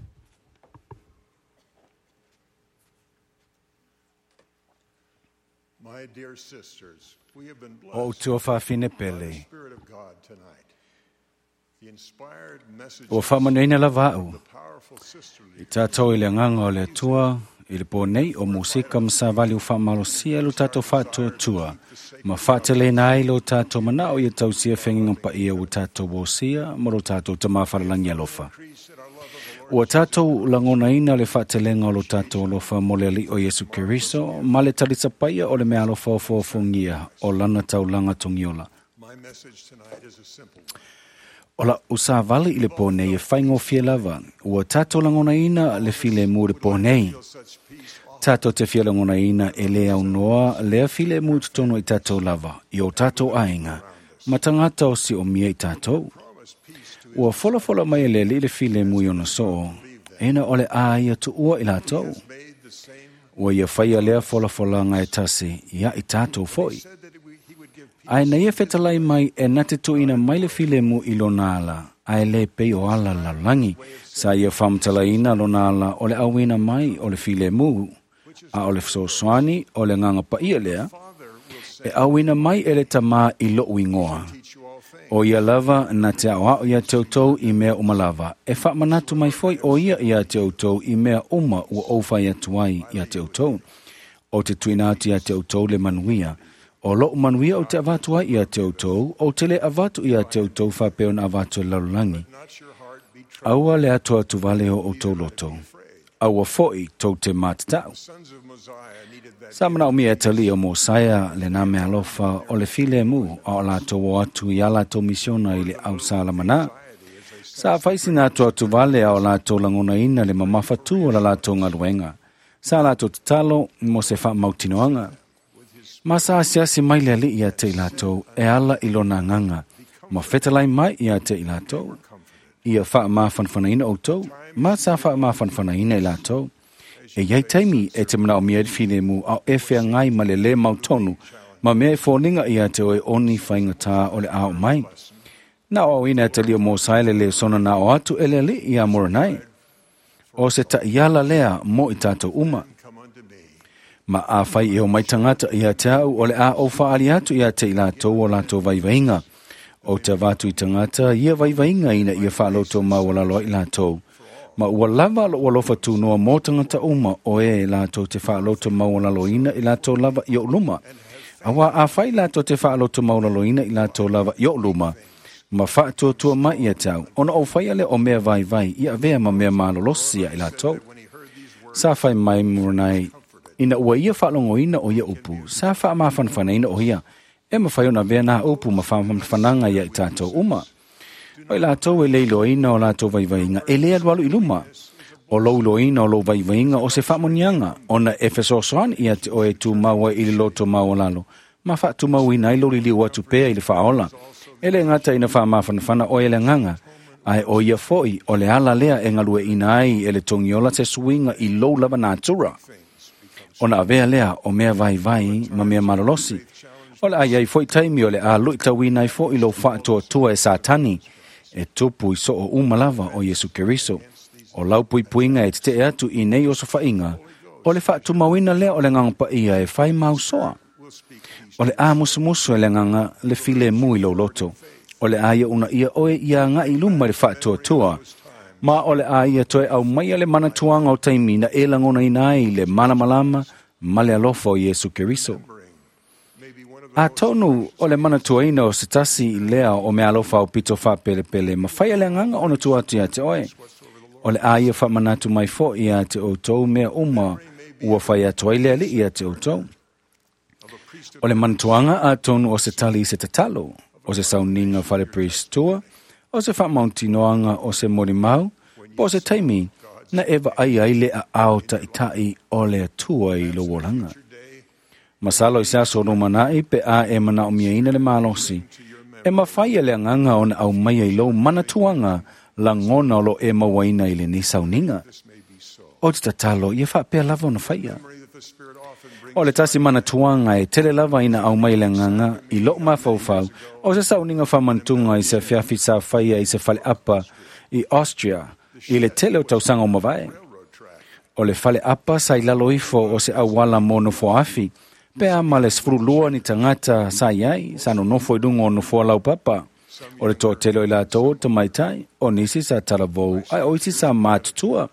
My dear sisters, we have been O blessed tua whawhine by the pele. Spirit of God tonight. The inspired messages O whaamanuina lava au. the powerful sisterly I tātou i le nganga o le atua, i le pō nei o musika masavali o whaamalosia lo tātou whaatuatua. Ma whaatelena ai lo tātou manao i tausia whenginga pa ia o tātou wosia ma lo tātou tamawharalangi alofa. Ua tātou langonaina le whaatelenga o lo tātou alofa mo le ali o Yesu Keriso, ma le talisapaia o le mea alofa o fōfongia o lana taulanga tongiola. My message tonight is a simple one. Ola usavali i le pō nei e whaingofie lava. Ua tātou langonaina le file mu le pō nei. Feel such peace often. Tātou te fia langonaina e le au noa lea file mu tonu i tātou lava, i o tātou ainga. Ma tangata o si o mia i tātou. Promise peace to Ua folafola mai e le li le file mu i ona soo. Ena ole a ia tuua i lātou. made the same Ua ia whaia lea folafolanga e tasi, ia i tātou foi. said that he he would give peace Ai na ia fetalai mai e na te tuina mai le file mu i lona ala, ai le pei o ala lalagi. Sa ia whamtalaina lona ala o le awina mai o le file mu, a o le fesoasoani o le nganga paia lea, Father will send e awina mai e le tamā i lou ingoa. teach you all things. O ia lava na te ao ao ia te outou i mea uma lava. E whaamanatu mai foi o ia ia te outou i mea uma ua ouwhai atu ai ia te outou. O te tuina atu ia te outou le manuia. O lou manuia o te avatu ai ia te outou, o te le avatu ia te outou whapeo na avatu e lalolagi. Not your heart be troubled. Aua le atu atu vale o outou loto. Aua foi tau te mātatau. Sons of Mosiah needed that Sa mana o mia tali o Mosaia le nā mea alofa o le file mu a o lātou o atu i a lātou misiona i le au salamana. Sa whaisina atu atu vale a o lātou langonaina le mamawhatu o la lātou ngaluenga. Sa lātou tatalo mo se whaamautinoanga. Ma sa asiasi mai le ali ia te i lātou e ala i lona nganga. Ma whetalai mai ia te i lātou. Ia whaamawhanwhanaina o tau. Ma sa whaamawhanwhanaina i lātou. E iai taimi e te mana o mia file mu au e whea ngai ma le le mautonu. Ma mea e fōninga ia te oe oni whainga o le ao mai. Nā o ina te lio mō saele le sona nā o atu e le ali ia moranai. O se ta iala lea mo i tātou uma. come unto me. Ma a whai e o mai tangata ia te au o le a o whaali atu ia te i lātou o lātou vaivainga. O te vatu i tangata ia vaivainga ina ia whaaloto maualalo i lātou. Ma ua lava lo alofa tūnoa mō tangata uma o e lātou te whaaloto maualalo ina i lātou lava i o luma. Awa a whai lātou te whaaloto maualalo ina i lātou lava i o luma. Ma whaatuatua mai ia tau. Ona o whai ale o mea vai vai ia vea ma mea malolosi ia i lātou. When he heard these words, Sa whai mai muranai, ina ua ia whaalongoina o ia upu, sa wha mafanfanaina o ia, e mawhai ona vea nā upu ma whafananga ia i tātou uma. O i lātou e leiloina o lātou vaivainga, e lea alualu i luma. O louloina o lou vaivainga o se whaamonianga, ona e fesoasoani ia te oe tū maua i le loto maualalo, ma whaatumauina ai lo liliu atu pea i le whaola. E le ngata ina whaamafanafana o e le nganga, ai o ia foi o le ala lea e ngalue ina ai e le tongiola se suinga i lou lava natura. Ona avea lea o mea vai vai ma mea malolosi. O le ai ai foi taimi o le a lui tauina ai foi lo whaatoatua e sātani e tupu i soo uma lava o Yesu Keriso. O lau puipuinga e te te atu i nei o sofainga. O le whaatumauina lea o le nganga paia e whai mausoa. O le a musumusu e le nganga le file mui lo loto. O le a ia una ia oe ia ngā i luma le whaatuatua. Ma o le a ia toe au mai le manatuanga o taimi na e langona ina ai le malamalama ma le alofa o Yesu Keriso. maybe one of the A tonu o le manatuaina o se tasi i lea o mea alofa o pito whapelepele ma whai le nganga ona tua atu ia te oe. O le a ia whamanatu mai fo ia te o tau mea uma ua whai atu ai le ali ia te o tau. O le manatuanga a tonu o se tali i se tatalo, o se sauninga whare priestua, o se whamauntinoanga o se morimau, po o se taimi, na ewa ai ai le a ao ta'itai o le atua i lo wolanga. Masalo i se aso no manai pe a e mana o mia ina le malosi. E mawhai e le anganga ona au mai ai lo manatuanga la ngona o lo e mawaina i le ni sauninga. O te tatalo, ia whaapea lava ona whaia. memory that the Spirit often brings O le tasi manatuanga e tele lava ina au mai le nganga i lo mawhaufau o se sauninga whamantunga i se fiafi sa whaia i se whale apa i Austria. I le tele o tausaga o mavae. O le fale apa sa i lalo ifo o se auala mo nofoafi, pea ma le sefululua ni tagata sa i ai, sa nonofo i luga o nofoa laupapa. O le toatele o i latou o tamaitai, o nisi sa talavou, ae o isi sa matutua.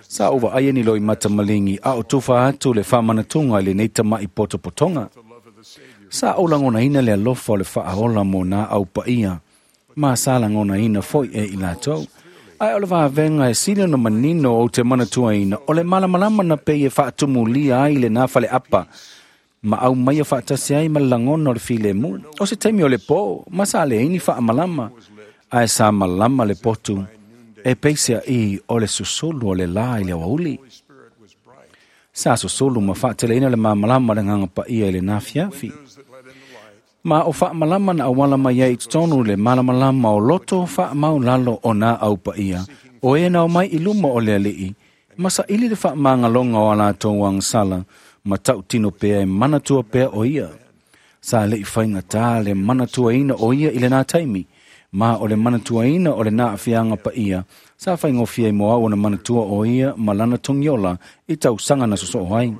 Sa ou vaaia ni loimata maligi a o tufa atu le faamanatuga i lenei tama'i potopotoga. Sa ou lagonaina le alofa o le faaola mo nā aupaia, ma sa lagonaina foi e i latou. Ae o le vavega e sili ona manino ou te manatuaina, o le malamalama na pei e faatumulia ai lenā faleapa, ma au maia faatasi ai ma le lagona o le filemu. O se taimi o le pō, ma sa leai ni faamalama, ae sa malama le potu, e peiseaʻi o le susulu o le lā i le aoauli. Sa susulu ma faateleina le mamalama o le agaga paia i lenā fiafi. Ma o faamalama na auala mai ai i totonu le malamalama o loto faamaulalo o nā aupaia, o e na omai i luma o le alii, ma saili le faamagaloga o a latou agasala, ma tautino pea e manatua pea o ia. Sa leʻi faigatā le manatuaina o ia i lenā taimi, ma o le manatuaina o lenā aafiaga paia, sa faigofie ai mo au ona manatua o ia ma lana togiola i tausaga na sosoo ai.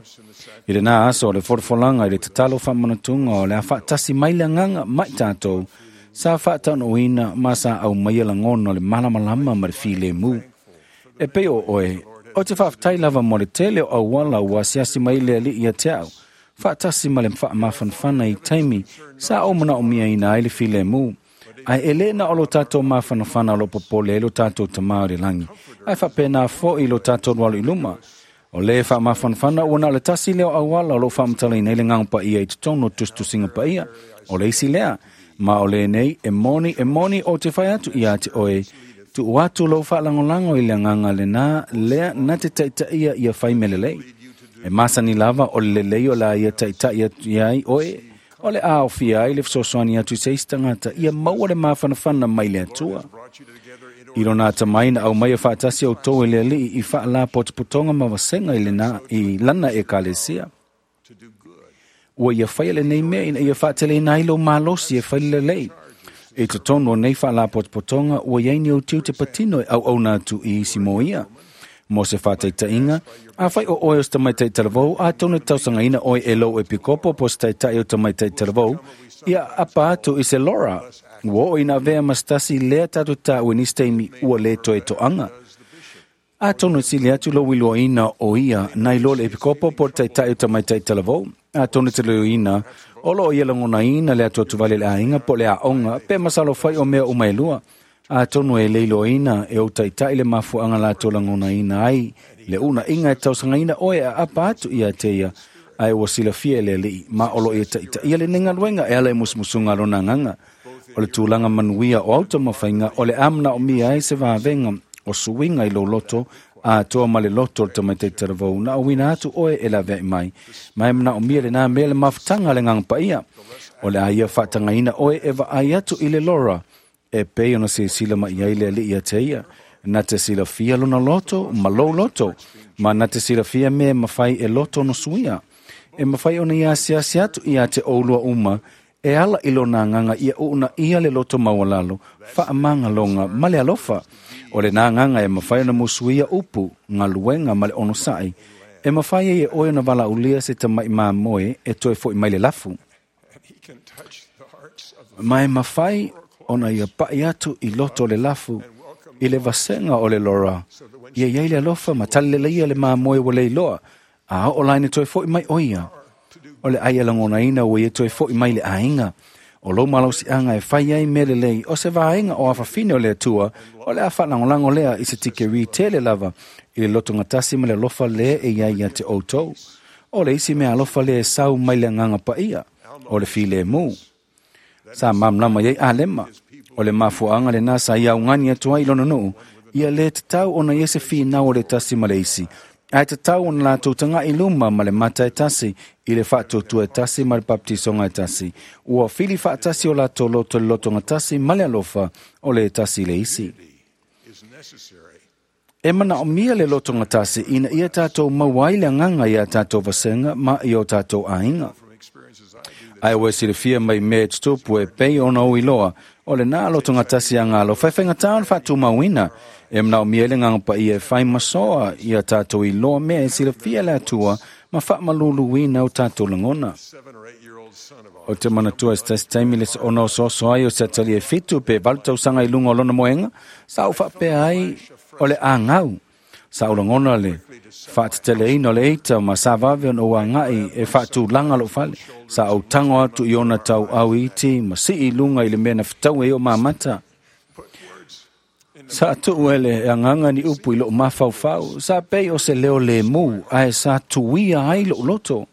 I lenā aso o le folafolaga i le tatalo faamanatuga o le a faatasi mai le agaga ma i tatou, sa faataunuuina ma sa aumaia lagona o le malamalama ma le filemu. E pei o oe, o te faafetai lava mo le tele o auala ua asiasi mai le alii ia te au, faatasi ma le faamafanafana i taimi sa ou manaomiaina ai le filemu. Ae e lē na o lo tatou mafanafana o lo popole ai lo tatou tamā o le lagi, ae faapena foʻi lo tatou alualu i luma. O lē faamafanafana ua na o le tasi lea o auala o loo faamatalaina ai le agaga paia i totonu o tusitusiga paia. O le isi lea, ma o lenei e moni e moni o te fai atu ia te oe, tuu atu lou faalagolago i le agaga lenā lea na te taitaia ia fai mea lelei. E masani lava o le lelei o la ia taitai atu iai oe, o le aofia ai le fesoasoani atu i se isi tagata ia maua le mafanafana mai le Atua. I lona atamai na aumaia faatasi outou e le alii i faalapotopotoga ma vasega i lena i lana ekalesia. Ua ia faia lenei mea ina ia faateleina ai lou malosi e fai le lelei. I totonu o nei faalapotopotoga ua iai ni ou tiute patino e auauna atu i isi mo ia. Mo se faataitaiga, afai o oe o se tamaitai talavou, atonu e tausagaina oe e lou epikopo po o se taitai o tamaitai talavou, ia apa atu i se lora. Ua oo ina avea ma se tasi lea tatou taua i nisi taimi ua lē toe toaga. Atonu e sili atu lou iloaina o ia nai lo le epikopo po o le taitai o tamaitai talavou. Atonu e te iloaina o loo ia lagonaina le atuatuvale i le aiga po o le aoga pe masalo fai o mea uma e lua. Atonu e le iloaina e ou taitai le mafuaaga latou lagonaina ai le uunaiga e tausagaina oe e aapa atu ia te ia, ae ua silafia e le alii ma o loo ia taitaia lenei galuega e ala i musumusuga a lona agaga. O le tulaga manuia o au taumafaiga o le a manaomia ai se vavega o suiga i lou loto atoa ma le loto o le tamaitai talavou na auina atu oe e laveai mai. Ma e manaomia lenā mea le mafutaga a le agaga paia. O le a ia faatagaina oe e vaai atu i le lora, e pei ona silasila mai ai le alii ia te ia. Na te silafia lona loto ma lou loto, ma na te silafia mea e mafai e loto ona suia. E mafai ona ia asiasi atu ia te oulua uma, e ala i lona agaga ia uunaia le loto maualalo, faamagaloga ma le alofa. O lenā agaga e mafai ona musuia upu, galuega ma le onosai, e mafai ai e oe ona valaaulia se tamaʻi mamoe e toe foʻi mai le lafu. Ma e mafai ona ia paʻi atu i loto o le lafu, i le vasega o le lora, ia iai le alofa ma talileleia le mamoe ua leiloa, a oo laina toe foʻi mai o ia. O le ai e lagonaina ua ia toe foʻi mai le aiga. O lou malosiaga e fai ai mea lelei o se vaega o afafine o le Atua, o le a faalagolago lea i se tikeri tele lava i le lotogatasi ma le alofa lea e iai ia te outou. O le isi mea alofa lea e sau mai le agaga paia, o le filemu. Sa malamalama iai Alema, o le mafuaaga lenā sa ia augani atu ai i lona nuu, ia lē tatau ona ia se finau o le tasi ma le isi, ae tatau ona latou tagaʻi luma ma le mata e tasi i le faatuatua e tasi ma le papatisoga e tasi. Ua fili faatasi o latou loto i le lotogatasi ma le alofa o le tasi i le isi. E manaomia le lotogatasi ina ia tatou maua ai le agaga iā tatou vasega ma i o tatou aiga. Ae ua e silafia mai mea e tutupu e pei ona ou iloa, O le nā loto tasi a ngā lo whaiwhainga tāna whātūmauina. E mnao mia le nganga pa ia e whai masoa ia tātou i loa mea e silafia le atua ma whaamaluluina o tātou langona. O te manatua se tasi taimi le ona o soso ai o se atali e fitu pe valu tausaga i luga o lona moenga, sa o faapea ai o le āgau. Sa o lagona le faateteleina o le eita ma sa vave ona ua agai e faatulaga lou fale. Sa ou tago atu i ona tauau iti ma sii i luga i le mea na fetaua ai o mamata. Sa tuu ele e agaga ni upu i lou mafaufau, sa pei o se leo lemu ae sa tuia ai lou loto.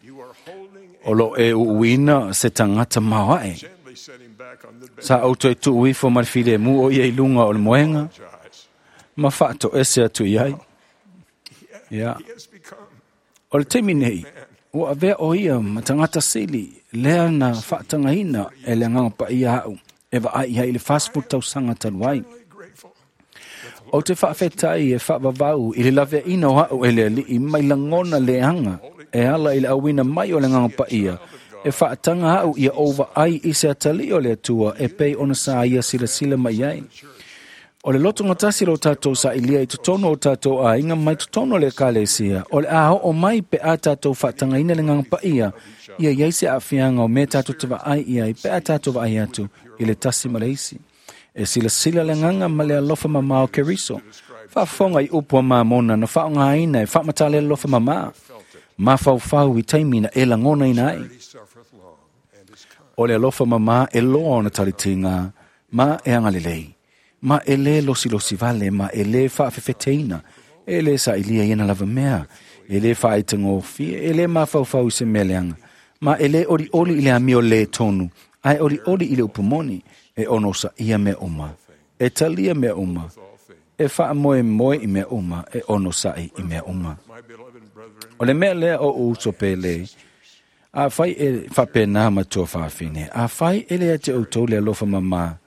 O lo e uuina se tagata maoae. Sa ou toe tuu ifo ma le filemu o ia i luga o le moega ma faatoese atu i ai. Ia. O le taimi nei, ua avea o ia ma tagata sili, lea na faatagaina e le agaga paia au, e vaai ai i le fasefulu tausaga talu ai. O te faafetai e faavavau i le laveaina o au e le alii mai lagona leaga e ala i le auina mai o le agaga paia, e faataga au ia ou vaai i se atalii o le Atua e pei ona sa ia silasila mai ai. O le loto gatasi lo tātou sailia i totonu o tātou aiga mai totonu o le ekalesia, o le a oo mai pe a tātou faatagaina le agaga paia, ia iai se aafiaga o mea tātou te vaai i ai pe a tātou vaai atu i le tasi ma le isi. E silasila le agaga ma le alofa mamā o Keriso. Faafofoga i upu a mamona na faaaogaina e faamatala le alofa mamā. Mafaufau i taimi na e lagonaina ai. O le alofa mamā e loa ona talitiga ma e agalelei. Ma e lē losilosi vale, ma e lē faafefeteina, e lē sailia i ana lava mea, e lē faaitagofie, e lē mafaufau i se mea leaga, ma e lē olioli i le amio lē tonu, ae olioli i le upu moni, e ono saia mea uma, e talia mea uma, e faamoemoe i mea uma, e ono sa'i i mea uma. O le mea lea o uso pele, a fai e faapena matua faafine, a fai e le ate outou le alofa mamā,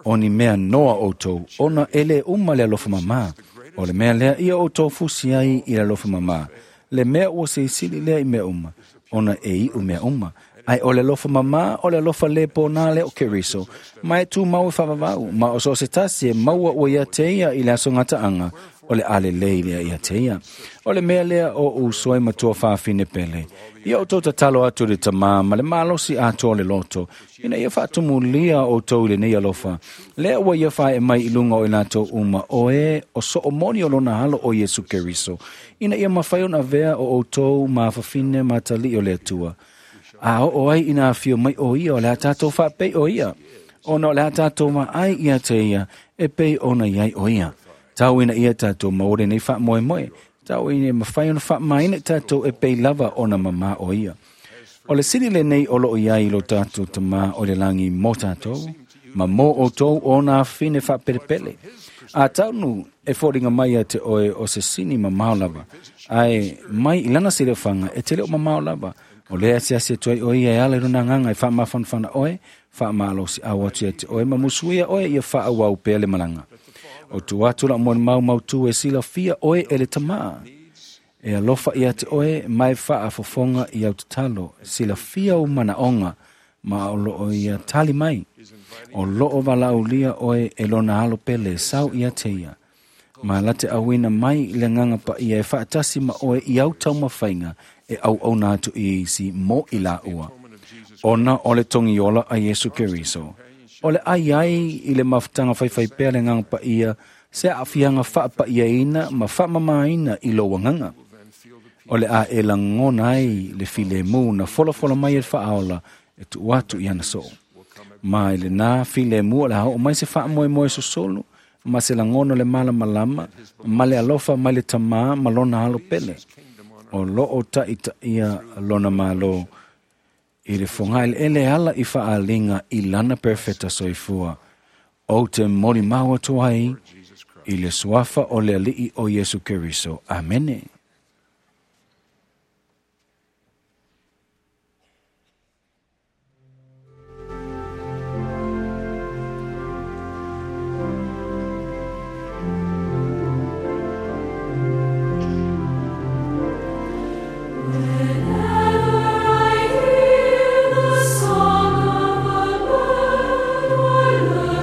o ni mea noa outou, ona e le uma le alofa mamā. O le mea lea ia outou fusi ai i le alofa mamā. Le mea ua seisili lea i mea uma, ona e iu mea uma. Ai o le alofa mamā, o le alofa le pōnā le o Keriso, ma e tūmau e faavavau, ma o so se tasi e maua ua ia te ia i le aso gataaga, o le alelei lea ia te ia. O le mea lea o uso ai matua faafine pele. Ia outou tatalo atu i le tamā ma le malosi atoa o le loto, ina ia faatumulia outou i lenei alofa. Lea ua ia fae mai i luga o i latou uma, o e o soomoni o lona alo o Iesu Keriso, ina ia mafai ona avea o outou ma fafine ma talii o le Atua. A oo ai ina afio mai o ia o le a tātou faapei o ia, ona o le a tātou maai ia te ia, e pei ona iai o ia. Tau ina ia tātou maua lenei faamoemoe, tau ina e mafai ona faamaina tātou e pei lava ona mamā o ia. O le sili lenei o loo iai lo tātou tamā o le langi mō tātou, ma mō outou o nā fine faapelepele. A taunu e foliga mai ia te oe o se sini mamao lava, ae mai i lana silefaga e te leo mamao lava. O lea asiasi atu ai o ia e ala i lona agaga e faamafanafana oe, faamalosi au atu ia te oe, ma musuia oe ia faaauau pea le malaga. O tu atu la molimau mautū e silafia oe e le tamā. E alofa ia te oe mai faafofoga i au tatalo, silafia u manaoga, ma o loo ia tali mai. O loo valaaulia oe e lona alo pele sau ia te ia. Ma late auina mai i le agaga paia e faatasi ma oe i au taumafaiga e auauna atu i isi mo i laua. Ona o le togiola a Iesu Keriso. O le ai ai i le mafutaga faifaipea le agaga paia, se aafiaga faapaiaina ma faamamaina i lou agaga. O le a e lagona ai le filemu na folafola mai e le faaola e tuu atu i ana soo. Ma i lenā filemu o le a oo mai se faamoemoe sosolo, ma se lagona o le malamalama, ma le alofa mai le tamā ma lona alo pele. O loo taitaia lona malo i le fogaeleele ala i faaliga i lana perfeta soifua. Ou te molimau atu ai i le suafa o le alii o Iesu Keriso. Amene. Whenever I hear the song of a bird, or learn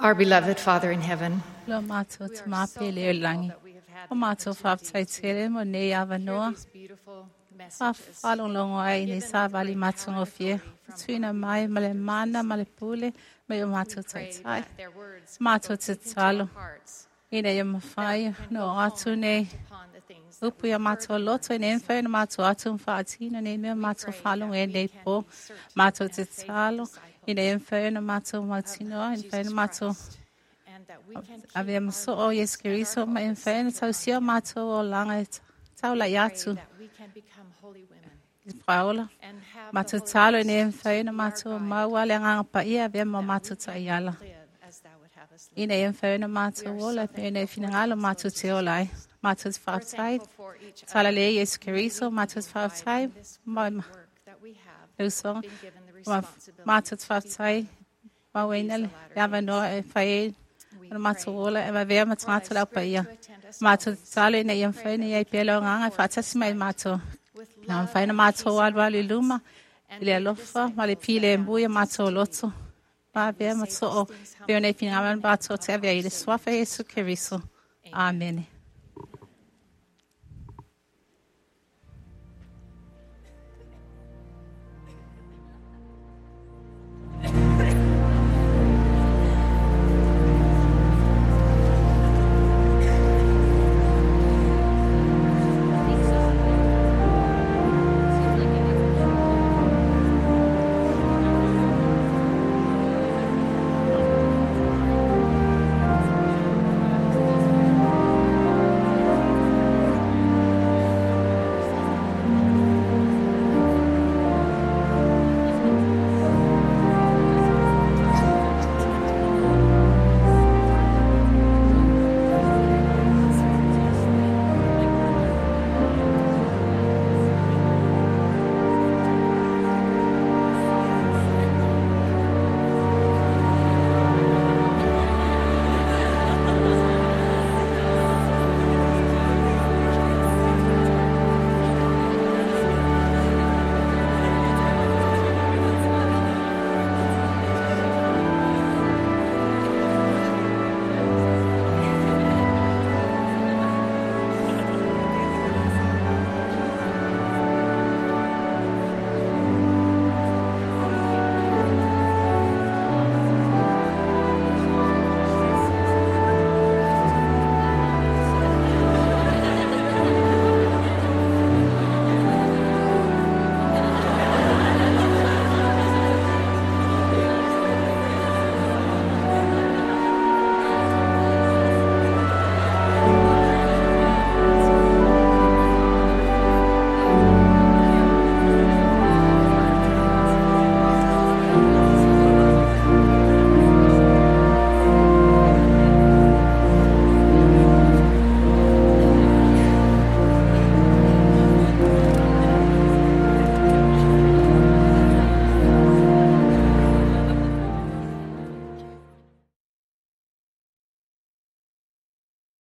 Our beloved Father in heaven, Lo mātou te māpele o langi. O mātou whaptaitele mo nei awanoa. Whawhalonglongo ai nei sa wali mātungo fie. Tuina mai ma le mana ma le pule me o mātou taitai. Mātou te talo. Ina ia mawhai no atu nei. Upu ia mātou loto i nei mwhai na mātou atu mwhaatina nei mea mātou whalong e nei pō. Mātou te talo. Ina ia mwhai na mātou mautinoa. Ina mwhai na mātou Avea maso o Yesu Keriso ma e mwhai na tausia mātou o langa e taula i atu. I paola. Mātou talo i nei mwhai na mātou maua le nganga paia avea ma mātou taiala. Ina e mwhai na mātou ola pe nei whinangalo mātou te ola ai. Mātou te whaatai. Tala le Yesu Keriso mātou te whaatai. Ma usonga. Mātou te whaatai. Mauina le awanoa e whai e na mātou ola e mawea ma tātou lau paia. Mātou te talo ina ia mwhai nei ai pēleo nganga e whaatasi mai mātou. Nā mwhai na mātou alu alu luma. I le alofa ma le pile e mbuia mātou loto. Mawea ma to'o peo nei whingaman mātou te awea i le swafa Yesu Keriso. Amen.